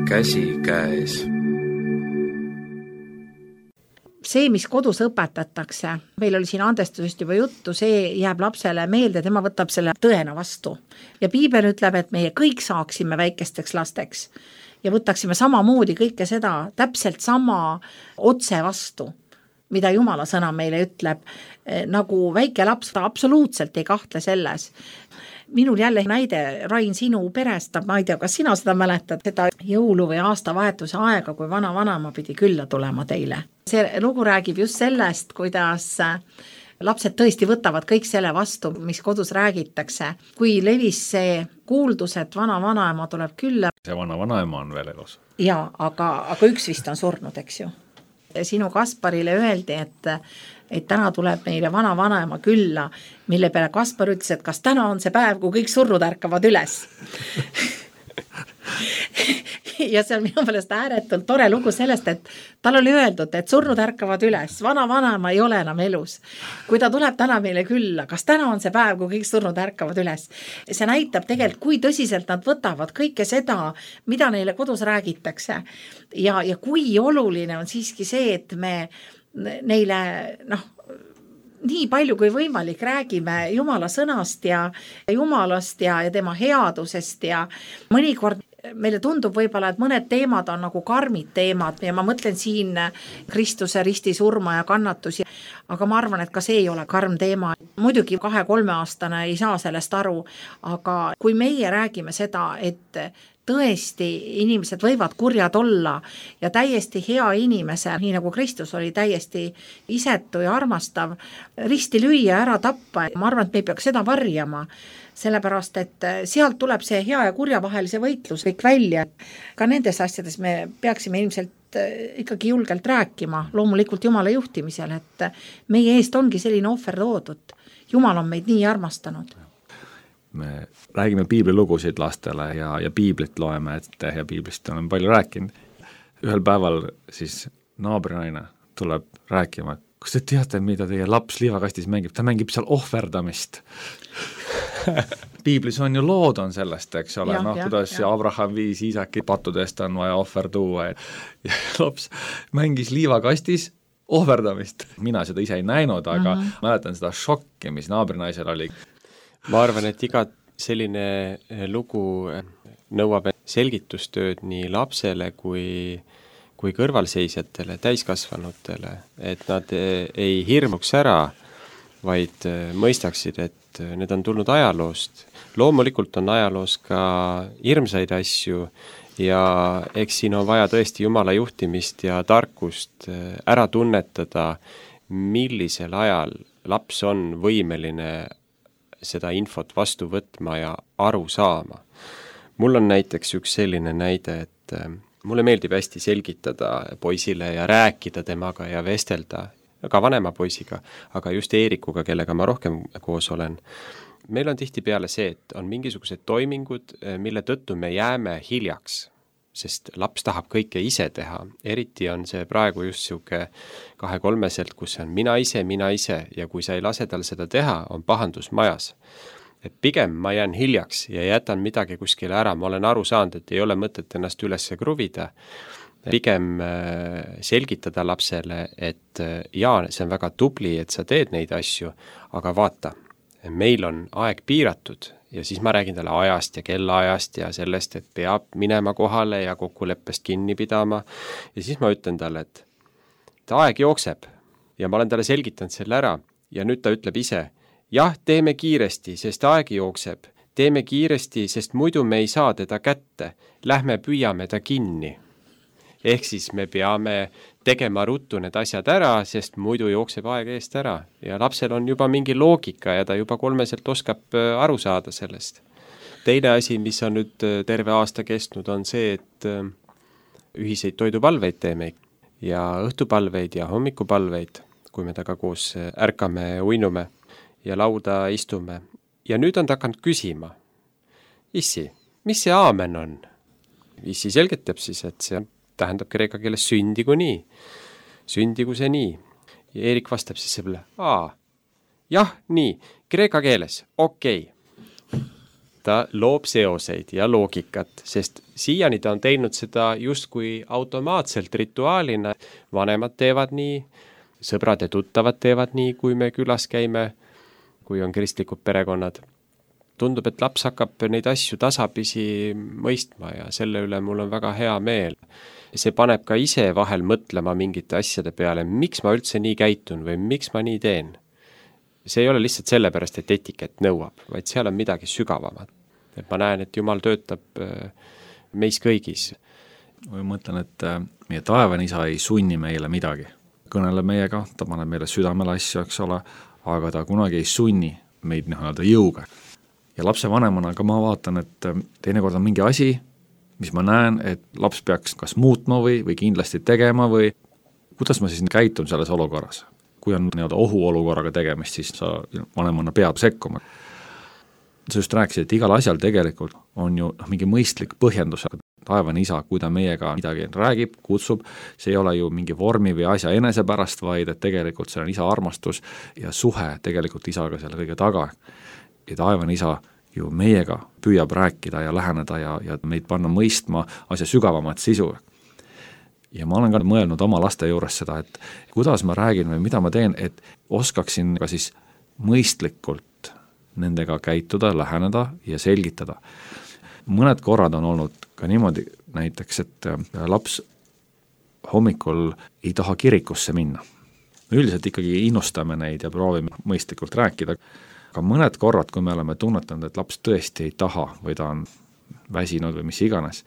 Käsi käes. See, mis kodus õpetatakse, meil oli siin andestusest juba juttu, see jääb lapsele meelde, tema võtab selle tõena vastu. Ja Piibel ütleb, et meie kõik saaksime väikesteks lasteks ja võtaksime samamoodi kõike seda täpselt sama otse vastu, mida Jumala sõna meile ütleb, nagu väike laps absoluutselt ei kahtle selles. Minul jälle näide, Rain, sinu perest, ma ei tea, kas sina seda mäletad, seda jõulu või aastavahetuse aega, kui vana-vanema pidi külla tulema teile. See lugu räägib just sellest, kuidas lapsed tõesti võtavad kõik selle vastu, mis kodus räägitakse. Kui levis see kuuldus, et vana-vanaema tuleb külla. See vana-vanaema on veel elus. Jaa, aga üks vist on surnud, eks ju. Sinu Kasparile öeldi, et täna tuleb meile vana-vanaema külla, mille peale Kaspar ütles, et kas täna on see päev, kui kõik surnud ärkavad üles. Ja see on minu meelest ääretult tore lugu sellest, et tal oli öeldud, et surnud ärkavad üles, vana-vanaema ei ole enam elus. Kui ta tuleb täna meile külla, kas täna on see päev, kui kõik surnud ärkavad üles. See näitab tegelikult, kui tõsiselt nad võtavad kõike seda, mida neile kodus räägitakse. Ja kui oluline on siiski see, et me neile nii palju kui võimalik räägime Jumala sõnast ja Jumalast ja tema headusest ja mõnikord meile tundub võib-olla, et mõned teemad on nagu karmid teemad ja ma mõtlen siin Kristuse ristisurma ja kannatusi, aga ma arvan, et ka see ei ole karm teema. Muidugi 2-3 aastane ei saa sellest aru, aga kui meie räägime seda, et tõesti inimesed võivad kurjad olla ja täiesti hea inimese, nii nagu Kristus oli täiesti isetu ja armastav, risti lüüa, ära tappa, ma arvan, et me ei peaks seda varjama, sellepärast, et sealt tuleb see hea ja kurja vahelise võitlus kõik välja. Ka nendes asjades me peaksime ilmselt ikkagi julgelt rääkima, loomulikult Jumala juhtimisel, et meie eest ongi selline ohver toodud. Jumal on meid nii armastanud. Me räägime piiblilugusid lastele ja piiblit loeme ette ja piiblist olen palju rääkinud. Ühel päeval siis naabrinaine tuleb rääkima, kas te teate, mida teie laps liivakastis mängib? Ta mängib seal ohverdamist. Piiblis on ju lood on sellest, eks ole, kuidas Abraham viis Iisaki pattudest on vaja ohver tuua ja laps mängis liivakastis ohverdamist. Mina seda ise ei näinud, aga mäletan seda šokki, mis naabrinaisel oli. Ma arvan, et iga selline lugu nõuab selgitustööd nii lapsele kui kõrvalseisjatele, täiskasvanutele, et nad ei hirmuks ära, vaid mõistaksid, et need on tulnud ajaloost. Loomulikult on ajaloos ka hirmsaid asju ja eks siin on vaja tõesti Jumala juhtimist ja tarkust ära tunnetada, millisel ajal laps on võimeline seda infot vastu võtma ja aru saama. Mul on näiteks üks selline näide, et mulle meeldib hästi selgitada poisile ja rääkida temaga ja vestelda, ka vanema poisiga, aga just Eerikuga, kellega ma rohkem koos olen. Meil on tihtipeale see, et on mingisugused toimingud, mille tõttu me jääme hiljaks, sest laps tahab kõike ise teha. Eriti on see praegu just siuke 2-3-selt, kus on mina ise ja kui sa ei lase tal seda teha, on pahandus majas. Et pigem ma jään hiljaks ja jätan midagi kuskile ära, ma olen aru saanud, et ei ole mõtet ennast üles kruvida. Pigem selgitada lapsele, et jaa, see on väga tubli, et sa teed neid asju, aga vaata, meil on aeg piiratud ja siis ma räägin talle ajast ja kellaajast ja sellest, et peab minema kohale ja kokkuleppest kinni pidama. Ja siis ma ütlen talle, et aeg jookseb ja ma olen talle selgitanud selle ära ja nüüd ta ütleb ise, jah, teeme kiiresti, sest aeg jookseb. Teeme kiiresti, sest muidu me ei saa teda kätte. Lähme püüame ta kinni. Ehk siis me peame tegema ruttu need asjad ära, sest muidu jookseb aeg eest ära. Ja lapsel on juba mingi loogika ja ta juba 3-selt oskab aru saada sellest. Teine asi, mis on nüüd terve aasta kestnud, on see, et ühiseid toidupalveid teeme ja õhtupalveid ja hommikupalveid, kui me taga koos ärkame, uinume ja lauda istume. Ja nüüd on ta hakanud küsima, issi, mis see aamen on? Issi selgitab siis, et see tähendab kreeka keeles sündigu nii. Sündigu see nii. Ja Eerik vastab siis selle, jah, nii, kreeka keeles, okei. Ta loob seoseid ja loogikat, sest siiani ta on teinud seda justkui automaatselt rituaalina. Vanemad teevad nii, sõbrad ja tuttavad teevad nii, kui me külas käime, kui on kristlikud perekonnad. Tundub, et laps hakkab neid asju tasapisi mõistma ja selle üle mul on väga hea meel. See paneb ka ise vahel mõtlema mingite asjade peale, miks ma üldse nii käitun või miks ma nii teen. See ei ole lihtsalt sellepärast, et etiket nõuab, vaid seal on midagi sügavamat. Et ma näen, et Jumal töötab meis kõigis. Ma mõtlen, et meie taevane isa ei sunni meile midagi. Kõneleb meiega, ta paneb meile südamele asju, eks ole, aga ta kunagi ei sunni meid jõuga. Ja lapse vanemana ka ma vaatan, et teinekord on mingi asi, mis ma näen, et laps peaks kas muutma või kindlasti tegema või kuidas ma siis käitun selles olukorras. Kui on ohuolukorraga tegemist, siis sa vanemana pead sekkuma. Sa just rääkisid, et igal asjal tegelikult on ju mingi mõistlik põhjendus. Taevane isa, kui ta meiega midagi räägib, kutsub, see ei ole ju mingi vormi või asja enese pärast, vaid et tegelikult see on isa armastus ja suhe tegelikult isaga selle kõige taga. Ja taevane isa ju meiega püüab rääkida ja läheneda ja meid panna mõistma asja sügavamat sisu. Ja ma olen ka mõelnud oma laste juures seda, et kuidas ma räägin või mida ma teen, et oskaksin ka siis mõistlikult nendega käituda, läheneda ja selgitada. mõned korrad on olnud ka niimoodi näiteks, et laps hommikul ei taha kirikusse minna. Me üldiselt ikkagi innustame neid ja proovime mõistlikult rääkida, aga mõned korrad, kui me oleme tunnetanud, et laps tõesti ei taha või ta on väsinud või mis iganes,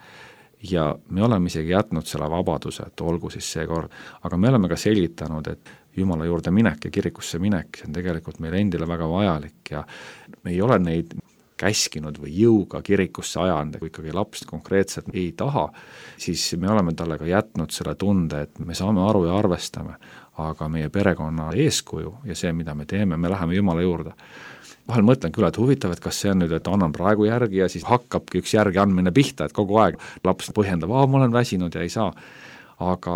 ja me oleme isegi jätnud selle vabaduse, et olgu siis see kord, aga me oleme ka selgitanud, et Jumala juurde minek ja kirikusse minek, see on tegelikult meile endile väga vajalik ja me ei ole neid käskinud või jõuga kirikusse ajanud, kui ikkagi laps konkreetselt ei taha, siis me oleme talle ka jätnud selle tunde, et me saame aru ja arvestame, aga meie perekonna eeskuju ja see, mida me teeme, me läheme Jumala juurde. Vahel mõtlen küll, et huvitav, et kas see on nüüd, et annan praegu järgi ja siis hakkabki üks järgi andmine pihta, et kogu aeg laps põhjendab, ma olen väsinud ja ei saa. Aga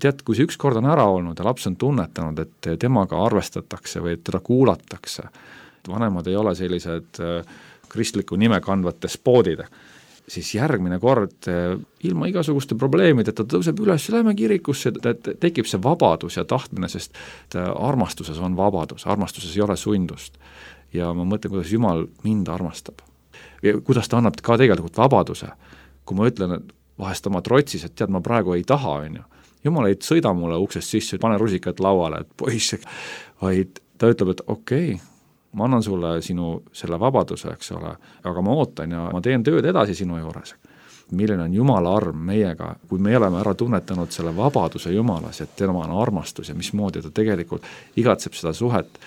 tead, kui see üks kord on ära olnud ja laps on tunnetanud, et temaga arvestatakse või et teda kuulatakse, vanemad ei ole sellised kristliku nime kandvad despoodid, siis järgmine kord ilma igasuguste probleemideta tõuseb üles, lähme kirikusse, et tekib see vabadus ja tahtmine, sest armastuses on vabadus, armastuses ei ole sundust. Ja ma mõtlen, kuidas Jumal mind armastab. Ja kuidas ta annab ka tegelikult vabaduse. Kui ma ütlen, et vahest oma trotsis, et tead, ma praegu ei taha, Jumal ei sõida mulle uksest sisse, pane rusikat lauale, et poiss, vaid ta ütleb, et okei, ma annan sulle sinu selle vabaduse, eks ole, aga ma ootan ja ma teen tööd edasi sinu juures. Milline on Jumala arm meiega, kui me oleme ära tunnetanud selle vabaduse Jumalas, et tema on armastus ja mismoodi ta tegelikult igatseb seda suhet.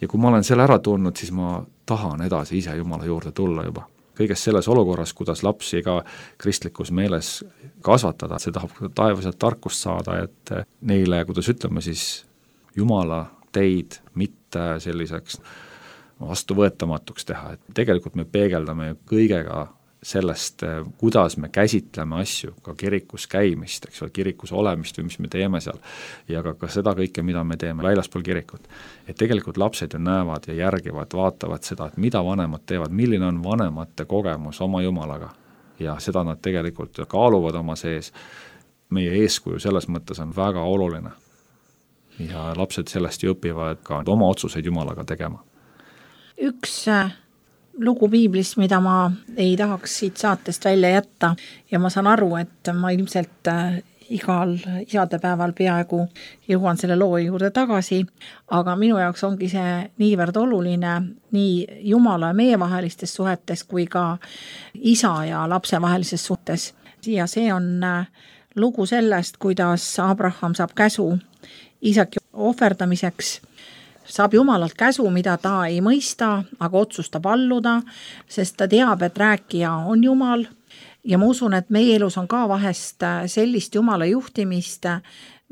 Ja kui ma olen selle ära tundnud, siis ma tahan edasi ise Jumala juurde tulla juba. Kõiges selles olukorras, kuidas lapsi ka kristlikus meeles kasvatada, see tahab taevaselt tarkust saada, et neile, kuidas ütleme siis, Jumala teid mitte selliseks vastuvõetamatuks teha, et tegelikult me peegeldame kõigega sellest, kuidas me käsitleme asju, ka kirikus käimist, eks ole, kirikus olemist või mis me teeme seal ja ka seda kõike, mida me teeme väljaspool kirikut. Et tegelikult lapsed ju näevad ja järgivad, vaatavad seda, et mida vanemad teevad, milline on vanemate kogemus oma Jumalaga ja seda nad tegelikult kaaluvad oma sees. Meie eeskuju selles mõttes on väga oluline ja lapsed sellest ju õpivad ka oma otsuseid Jumalaga tegema. Üks lugu piiblist, mida ma ei tahaks siit saatest välja jätta ja ma saan aru, et ma ilmselt igal isadepäeval peaaegu jõuan selle loo juurde tagasi, aga minu jaoks ongi see niivõrd oluline nii Jumala ja meie vahelistes suhetes kui ka isa ja lapse vahelises suhtes. Ja see on lugu sellest, kuidas Abraham saab käsu Iisaki ohverdamiseks, saab Jumalalt käsu, mida ta ei mõista, aga otsustab alluda, sest ta teab, et rääkija on Jumal ja ma usun, et meie elus on ka vahest sellist Jumala juhtimist,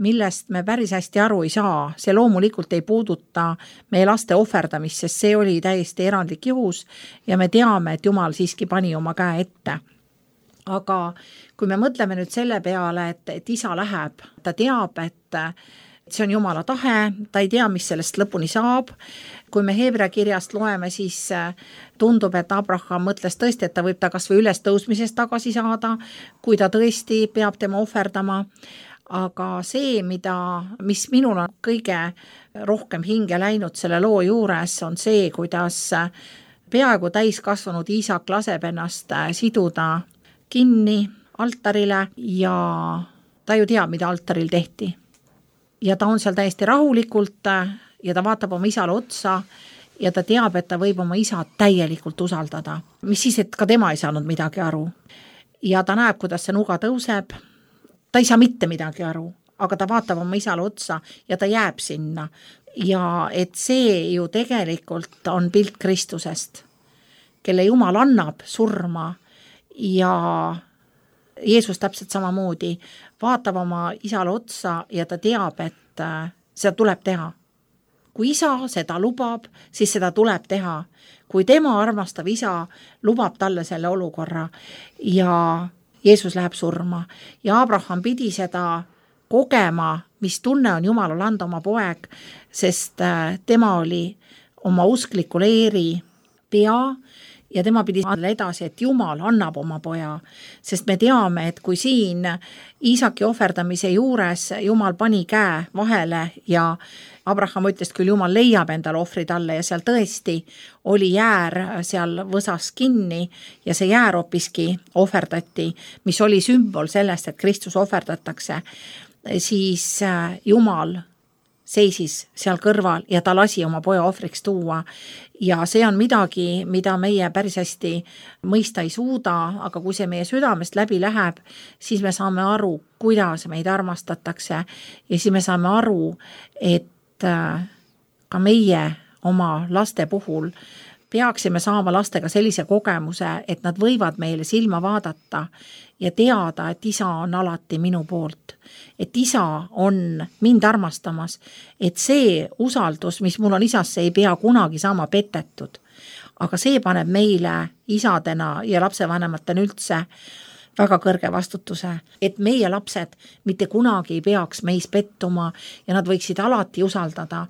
millest me päris hästi aru ei saa. See loomulikult ei puuduta meie laste ohverdamist, sest see oli täiesti erandlik juhus ja me teame, et Jumal siiski pani oma käe ette. Aga kui me mõtleme nüüd selle peale, et isa läheb, ta teab, et see on Jumala tahe, ta ei tea, mis sellest lõpuni saab. Kui me Heebrea kirjast loeme, siis tundub, et Abraham mõtles tõesti, et ta võib ta kas või üles tõusmisest tagasi saada, kui ta tõesti peab tema ohverdama. Aga see, mis minul on kõige rohkem hinge läinud selle loo juures, on see, kuidas peaaegu täiskasvanud Iisak laseb ennast siduda kinni altarile ja ta ju teab, mida altaril tehti. Ja ta on seal täiesti rahulikult ja ta vaatab oma isale otsa ja ta teab, et ta võib oma isa täielikult usaldada. Mis siis, et ka tema ei saanud midagi aru. Ja ta näeb, kuidas see nuga tõuseb. Ta ei saa mitte midagi aru, aga ta vaatab oma isale otsa ja ta jääb sinna. Ja et see ju tegelikult on pilt Kristusest, kelle Jumal annab surma ja Jeesus täpselt samamoodi vaatab oma isale otsa ja ta teab, et seda tuleb teha. Kui isa seda lubab, siis seda tuleb teha. Kui tema armastav isa lubab talle selle olukorra ja Jeesus läheb surma ja Abraham pidi seda kogema, mis tunne on Jumalal anda oma poeg, sest tema oli oma uskliku leeri pea ja tema pidi edasi, et Jumal annab oma poja, sest me teame, et kui siin Iisaki ohverdamise juures Jumal pani käe vahele ja Abraham ütles, küll Jumal leiab endale ohvri talle ja seal tõesti oli jäär seal võsas kinni ja see jäär hoopiski ohverdati, mis oli sümbol sellest, et Kristus ohverdatakse, siis Jumal seisis seal kõrval ja ta lasi oma poja ohvriks tuua. Ja see on midagi, mida meie päris hästi mõista ei suuda, aga kui see meie südamest läbi läheb, siis me saame aru, kuidas meid armastatakse ja siis me saame aru, et ka meie oma laste puhul peaksime saama lastega sellise kogemuse, et nad võivad meile silma vaadata ja teada, et isa on alati minu poolt, et isa on mind armastamas, et see usaldus, mis mul on isasse, ei pea kunagi saama petetud. Aga see paneb meile isadena ja lapsevanematena üldse väga kõrge vastutuse, et meie lapsed mitte kunagi ei peaks meis pettuma ja nad võiksid alati usaldada,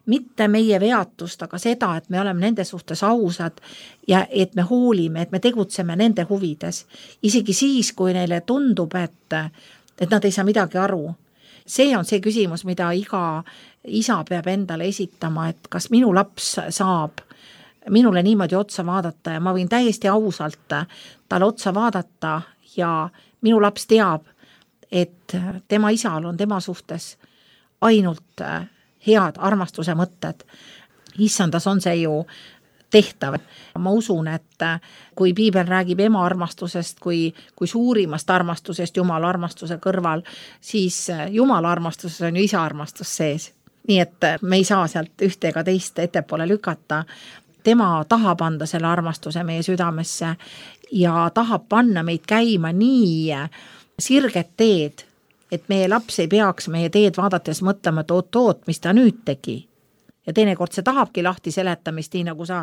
mitte meie veatust, aga seda, et me oleme nende suhtes ausad ja et me hoolime, et me tegutseme nende huvides. Isegi siis, kui neile tundub, et nad ei saa midagi aru. See on see küsimus, mida iga isa peab endale esitama, et kas minu laps saab minule niimoodi otsa vaadata ja ma võin täiesti ausalt talle otsa vaadata ja minu laps teab, et tema isal on tema suhtes ainult head armastuse mõtted. Issandas on see ju tehtav. Ma usun, et kui piibel räägib ema armastusest kui suurimast armastusest Jumala armastuse kõrval, siis Jumala armastuses on ju isa armastus sees. Nii et me ei saa sealt ühte ega teist ettepoole lükata. Tema tahab anda selle armastuse meie südamesse ja tahab panna meid käima nii sirget teed, et meie laps ei peaks meie teed vaadates mõtlema, et oot, mis ta nüüd tegi. Ja teinekord see tahabki lahti seletamist, nii nagu sa,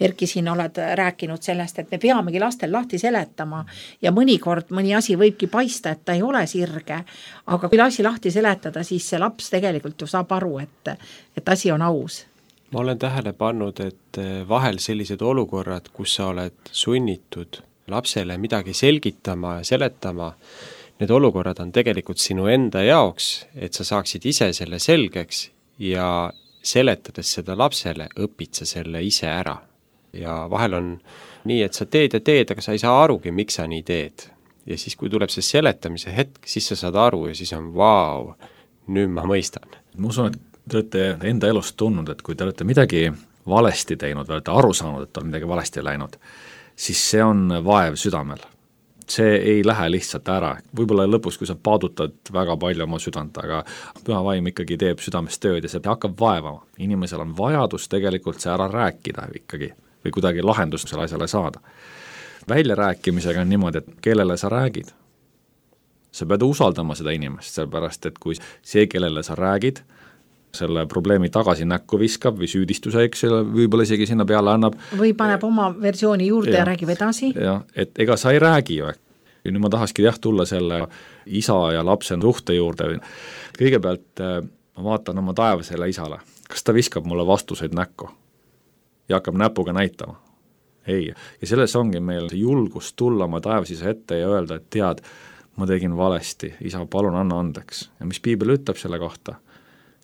Erki, siin oled rääkinud sellest, et me peamegi lastel lahti seletama ja mõnikord mõni asi võibki paista, et ta ei ole sirge, aga kui asi lahti seletada, siis see laps tegelikult ju saab aru, et asi on aus. Ma olen tähele pannud, et vahel sellised olukorrad, kus sa oled sunnitud lapsele midagi selgitama ja seletama, need olukorrad on tegelikult sinu enda jaoks, et sa saaksid ise selle selgeks ja seletades seda lapsele, õpid sa selle ise ära. Ja vahel on nii, et sa teed, aga sa ei saa arugi, miks sa nii teed. Ja siis, kui tuleb see seletamise hetk, siis sa saad aru ja siis on vau, nüüd ma mõistan. Ma usun, et te olete enda elust tundnud, et kui te olete midagi valesti teinud, või olete aru saanud, et on midagi valesti läinud, siis see on vaev südamel. See ei lähe lihtsalt ära. Võib-olla lõpus, kui sa paadutad väga palju oma südant, aga püha vaim ikkagi teeb südames tööd ja see hakkab vaevama. Inimesel on vajadus tegelikult see ära rääkida ikkagi või kuidagi lahendust selle asjale saada. Väljarääkimisega on niimoodi, et kellele sa räägid. Sa pead usaldama seda inimest, sellepärast, et kui see, kellele sa räägid, selle probleemi tagasi näkku viskab või süüdistuse, eks võib-olla isegi sinna peale annab. Või paneb oma versiooni juurde ja räägib edasi. Ja, et ega sa ei räägi ju. Ja nüüd ma tahakski tulla selle isa ja lapse suhte juurde. Kõigepealt ma vaatan oma taevasele isale. Kas ta viskab mulle vastuseid näkku? Ja hakkab näpuga näitama? Ei. Ja selles ongi meil julgus tulla oma taevasisa ette ja öelda, et tead, ma tegin valesti. Isa, palun anna andeks. Ja mis piibel ütleb selle kohta?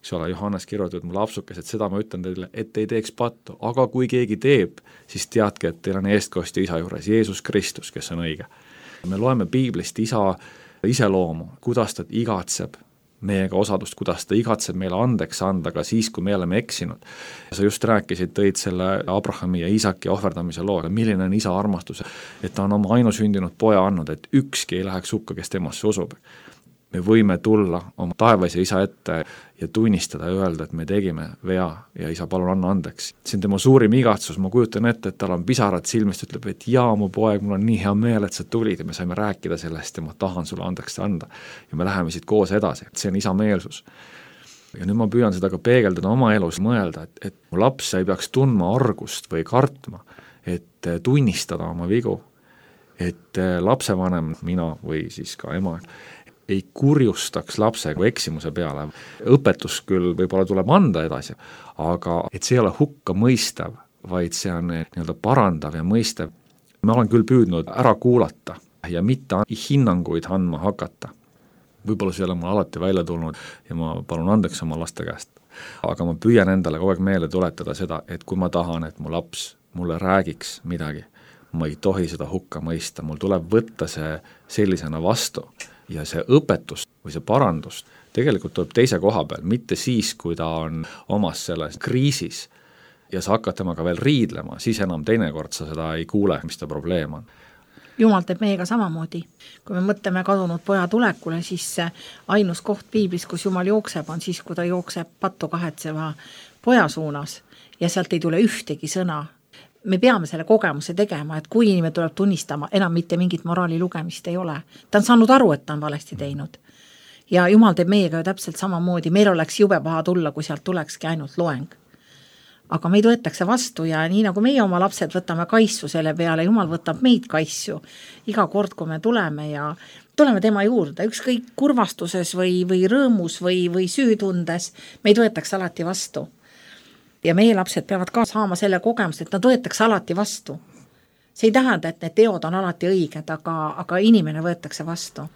Eks ole, Johannes kirjutab mulle lapsukes, et seda ma ütlen teile, et ei teeks pattu, aga kui keegi teeb, siis teadke, et teil on eestkostja isa juures, Jeesus Kristus, kes on õige. Me loeme piiblist isa iseloomu, kuidas ta igatseb meiega osadust, kuidas ta igatseb meile andeks anda ka siis, kui me oleme eksinud. Sa just rääkisid, tõid selle Abrahami ja Iisaki ohverdamise loo, milline on isa armastus, et ta on oma ainusündinud poja andnud, et ükski ei läheks hukka, kes temasse usub. Me võime tulla oma taevas ja isa ette ja tunnistada ja öelda, et me tegime vea ja isa, palun anna andeks. See on tema suurim igatsus, ma kujutan ette, et tal on pisarad silmist, ütleb, et jaa, mu poeg, mul on nii hea meel, et sa tulid ja me saime rääkida sellest ja ma tahan sulle andeks anda. Ja me läheme siit koos edasi, see on isa meelsus. Ja nüüd ma püüan seda ka peegeldada oma elus, mõelda, et mu laps ei peaks tundma argust või kartma, et tunnistada oma vigu, et lapsevanem, mina või siis ka ema, ei kurjustaks lapsega eksimuse peale. Õpetus küll võib-olla tuleb anda edasi, aga et see ei ole hukka mõistav, vaid see on nii-öelda parandav ja mõistav. ma olen küll püüdnud ära kuulata ja mitte hinnanguid andma hakata. Võib-olla see ei ole mul alati välja tulnud ja ma palun andeks oma laste käest. Aga ma püüan endale kogu aeg meelde tuletada seda, et kui ma tahan, et mu laps mulle räägiks midagi, ma ei tohi seda hukka mõista, mul tuleb võtta see sellisena vastu ja see õpetus või see parandus tegelikult tuleb teise koha peal, mitte siis, kui ta on omas selles kriisis ja sa hakkad temaga veel riidlema, siis enam teinekord sa seda ei kuule, mis ta probleem on. Jumal teeb meiega samamoodi. Kui me mõtleme kadunud poja tulekule, siis ainus koht piiblis, kus Jumal jookseb, on siis, kui ta jookseb pattu kahetseva poja suunas ja sealt ei tule ühtegi sõna. Me peame selle kogemuse tegema, et kui inimene tuleb tunnistama, enam mitte mingit moraali lugemist ei ole. Ta on saanud aru, et ta on valesti teinud. Ja Jumal teeb meiega ju täpselt samamoodi. Meil oleks jube paha tulla, kui sealt tulekski ainult loeng. Aga meid võetakse vastu ja nii nagu meie oma lapsed võtame kaissu selle peale, Jumal võtab meid kaissu iga kord, kui me tuleme ja tuleme tema juurde, ükskõik kurvastuses või rõõmus või süütundes, meid võetakse alati vastu. Ja meie lapsed peavad ka saama selle kogemuse, et nad võetakse alati vastu. See ei tähenda, et need teod on alati õiged, aga inimene võetakse vastu.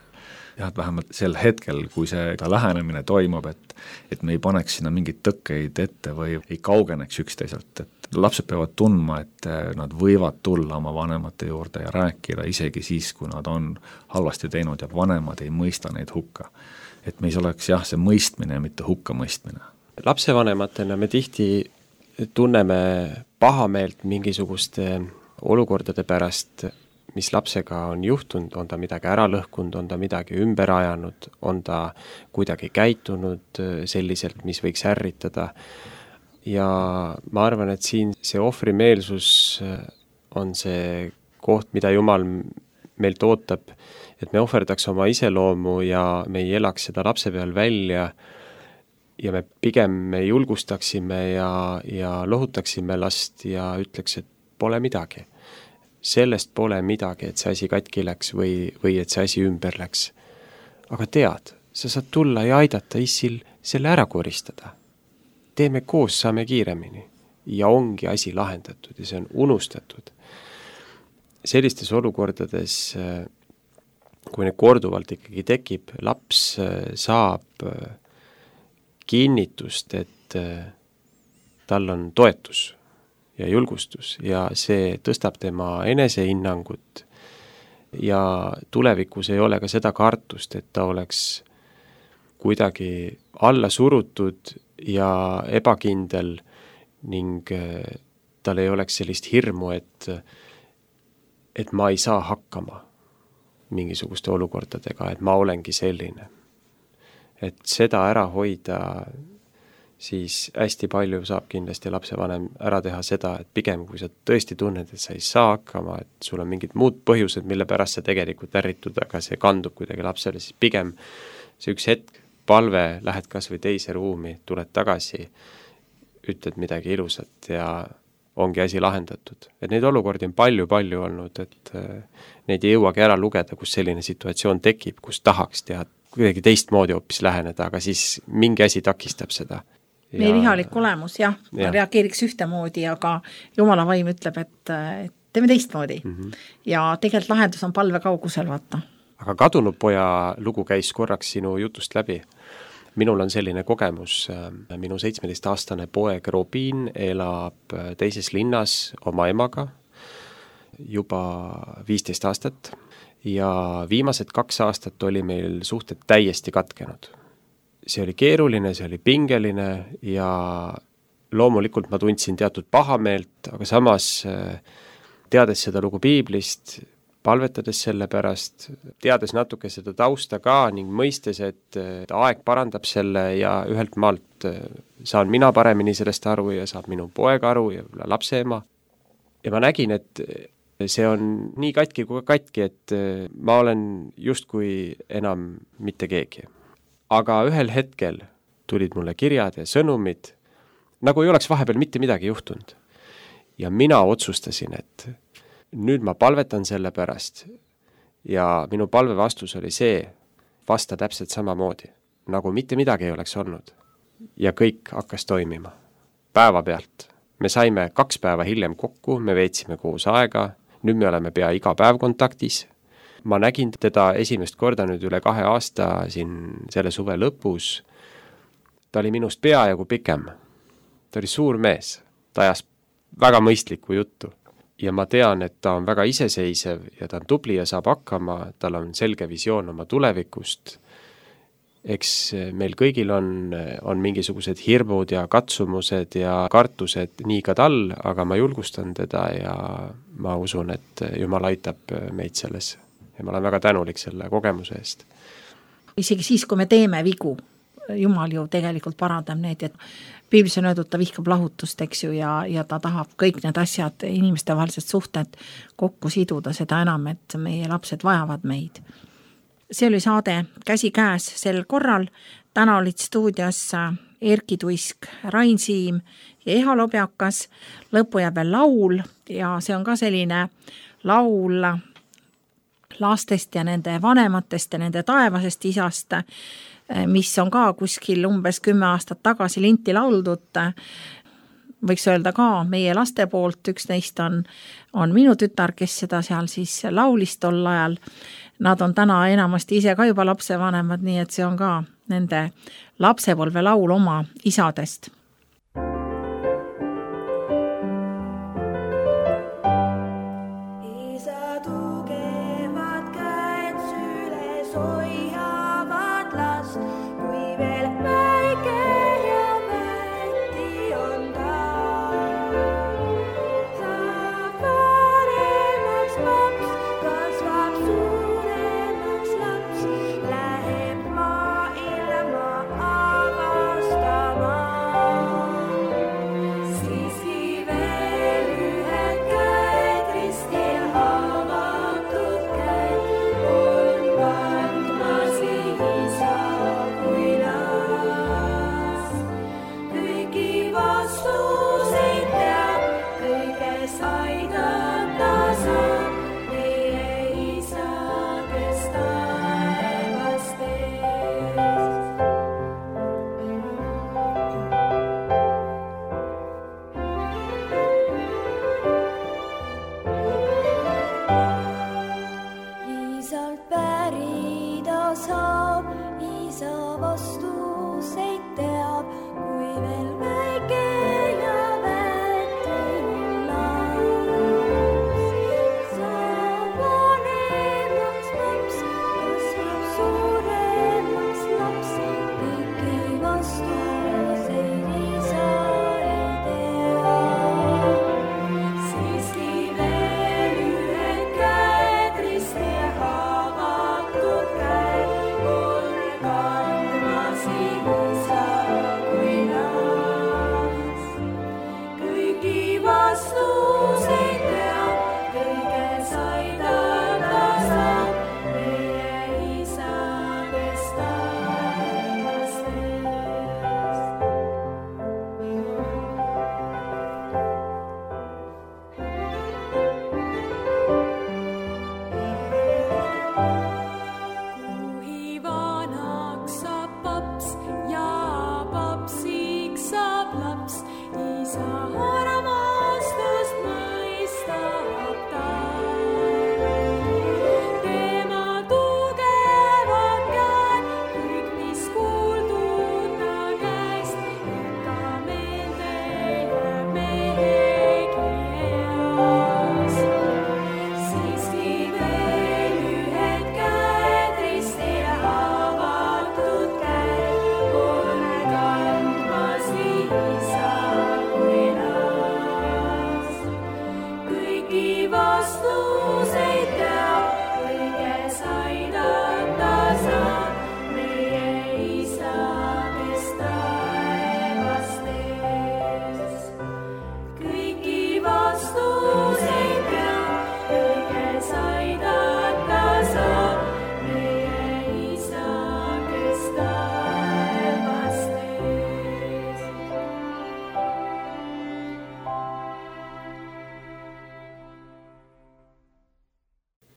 Jah, et vähemalt sel hetkel, kui see lähenemine toimub, et me ei paneks sinna mingid tõkkeid ette või ei kaugeneks üksteiselt, et lapsed peavad tundma, et nad võivad tulla oma vanemate juurde ja rääkida isegi siis, kui nad on halvasti teinud ja vanemad ei mõista neid hukka. Et meis oleks jah, see mõistmine ja mitte hukka mõistmine. Lapsevanematena me tihti tunneme pahameelt mingisuguste olukordade pärast, mis lapsega on juhtunud, on ta midagi ära lõhkunud, on ta midagi ümber ajanud, on ta kuidagi käitunud selliselt, mis võiks ärritada. Ja ma arvan, et siin see ohvrimeelsus on see koht, mida Jumal meilt ootab, et me ohverdaks oma iseloomu ja me ei elaks seda lapse peal välja ja me pigem julgustaksime ja lohutaksime last ja ütleks, et pole midagi. Sellest pole midagi, et see asi katki läks või et see asi ümber läks. Aga tead, sa saad tulla ja aidata issil selle ära koristada. Teeme koos, saame kiiremini. Ja ongi asi lahendatud ja see on unustatud. Sellistes olukordades, kui need korduvalt ikkagi tekib, laps saab kinnitust, et tal on toetus ja julgustus ja see tõstab tema enesehinnangut ja tulevikus ei ole ka seda kartust, et ta oleks kuidagi alla surutud ja ebakindel ning tal ei oleks sellist hirmu, et ma ei saa hakkama mingisuguste olukordadega, et ma olengi selline. Et seda ära hoida, siis hästi palju saab kindlasti lapsevanem ära teha seda, et pigem kui sa tõesti tunned, et sa ei saa hakkama, et sul on mingid muud põhjused, mille pärast sa tegelikult ärritud, aga see kandub kuidagi lapsele, siis pigem see üks hetk, palve, lähed kas või teise ruumi, tuled tagasi, ütled midagi ilusat ja ongi asi lahendatud. Et neid olukordi on palju olnud, et neid ei jõuagi ära lugeda, kus selline situatsioon tekib, kus tahaks teha kuidagi teistmoodi hoopis läheneda, aga siis mingi asi takistab seda. Meie vihalik olemus, jah, reageeriks ühtemoodi, aga Jumala vaim ütleb, et teeme teistmoodi. Ja tegelikult lahendus on palve kaugusel, vaata. Aga kadunud poja lugu käis korraks sinu jutust läbi. Minul on selline kogemus, minu 17-aastane poeg Robin elab teises linnas oma emaga juba 15 aastat ja viimased 2 aastat oli meil suhted täiesti katkenud. See oli keeruline, see oli pingeline ja loomulikult ma tundsin teatud pahameelt, aga samas teades seda lugu piiblist, palvetades selle pärast, teades natuke seda tausta ka ning mõistes, et aeg parandab selle ja ühelt maalt saan mina paremini sellest aru ja saab minu poeg aru ja lapse ema. Ja ma nägin, et see on nii katki kui katki, et ma olen justkui enam mitte keegi. Aga ühel hetkel tulid mulle kirjad ja sõnumid, nagu ei oleks vahepeal mitte midagi juhtunud. Ja mina otsustasin, et nüüd ma palvetan selle pärast ja minu palve vastus oli see, vasta täpselt samamoodi, nagu mitte midagi ei oleks olnud. Ja kõik hakkas toimima. Päeva pealt. Me saime 2 päeva hiljem kokku, me veetsime koos aega, nüüd me oleme pea iga päev kontaktis. Ma nägin teda esimest korda nüüd üle 2 aasta siin selle suve lõpus. Ta oli minust peajagu pikem. Ta oli suur mees. Ta ajas väga mõistlikku juttu. Ja ma tean, et ta on väga iseseisev ja ta on tubli ja saab hakkama. Tal on selge visioon oma tulevikust. Eks meil kõigil on mingisugused hirmud ja katsumused ja kartused nii ka tal, aga ma julgustan teda ja ma usun, et Jumal aitab meid selles. Ja ma olen väga tänulik selle kogemuse eest. Isegi siis, kui me teeme vigu, Jumal ju tegelikult parandab need, et Piiblis on öeldud, ta vihkab lahutust, eks ju, ja ta tahab kõik need asjad, inimeste vahelised suhted kokku siduda, seda enam, et meie lapsed vajavad meid. See oli saade Käsi käes sel korral. Täna olid stuudios Erki Tuisk, Rain Siim ja Eha Lobjakas. Lõppu jääb veel laul ja see on ka selline laul lastest ja nende vanematest ja nende taevasest isast, mis on ka kuskil umbes 10 aastat tagasi linti lauldud. Võiks öelda ka meie laste poolt, üks neist on minu tütar, kes seda seal siis laulis tol ajal. Nad on täna enamasti ise ka juba lapsevanemad, nii et see on ka nende lapsepolve laul oma isadest. Vastus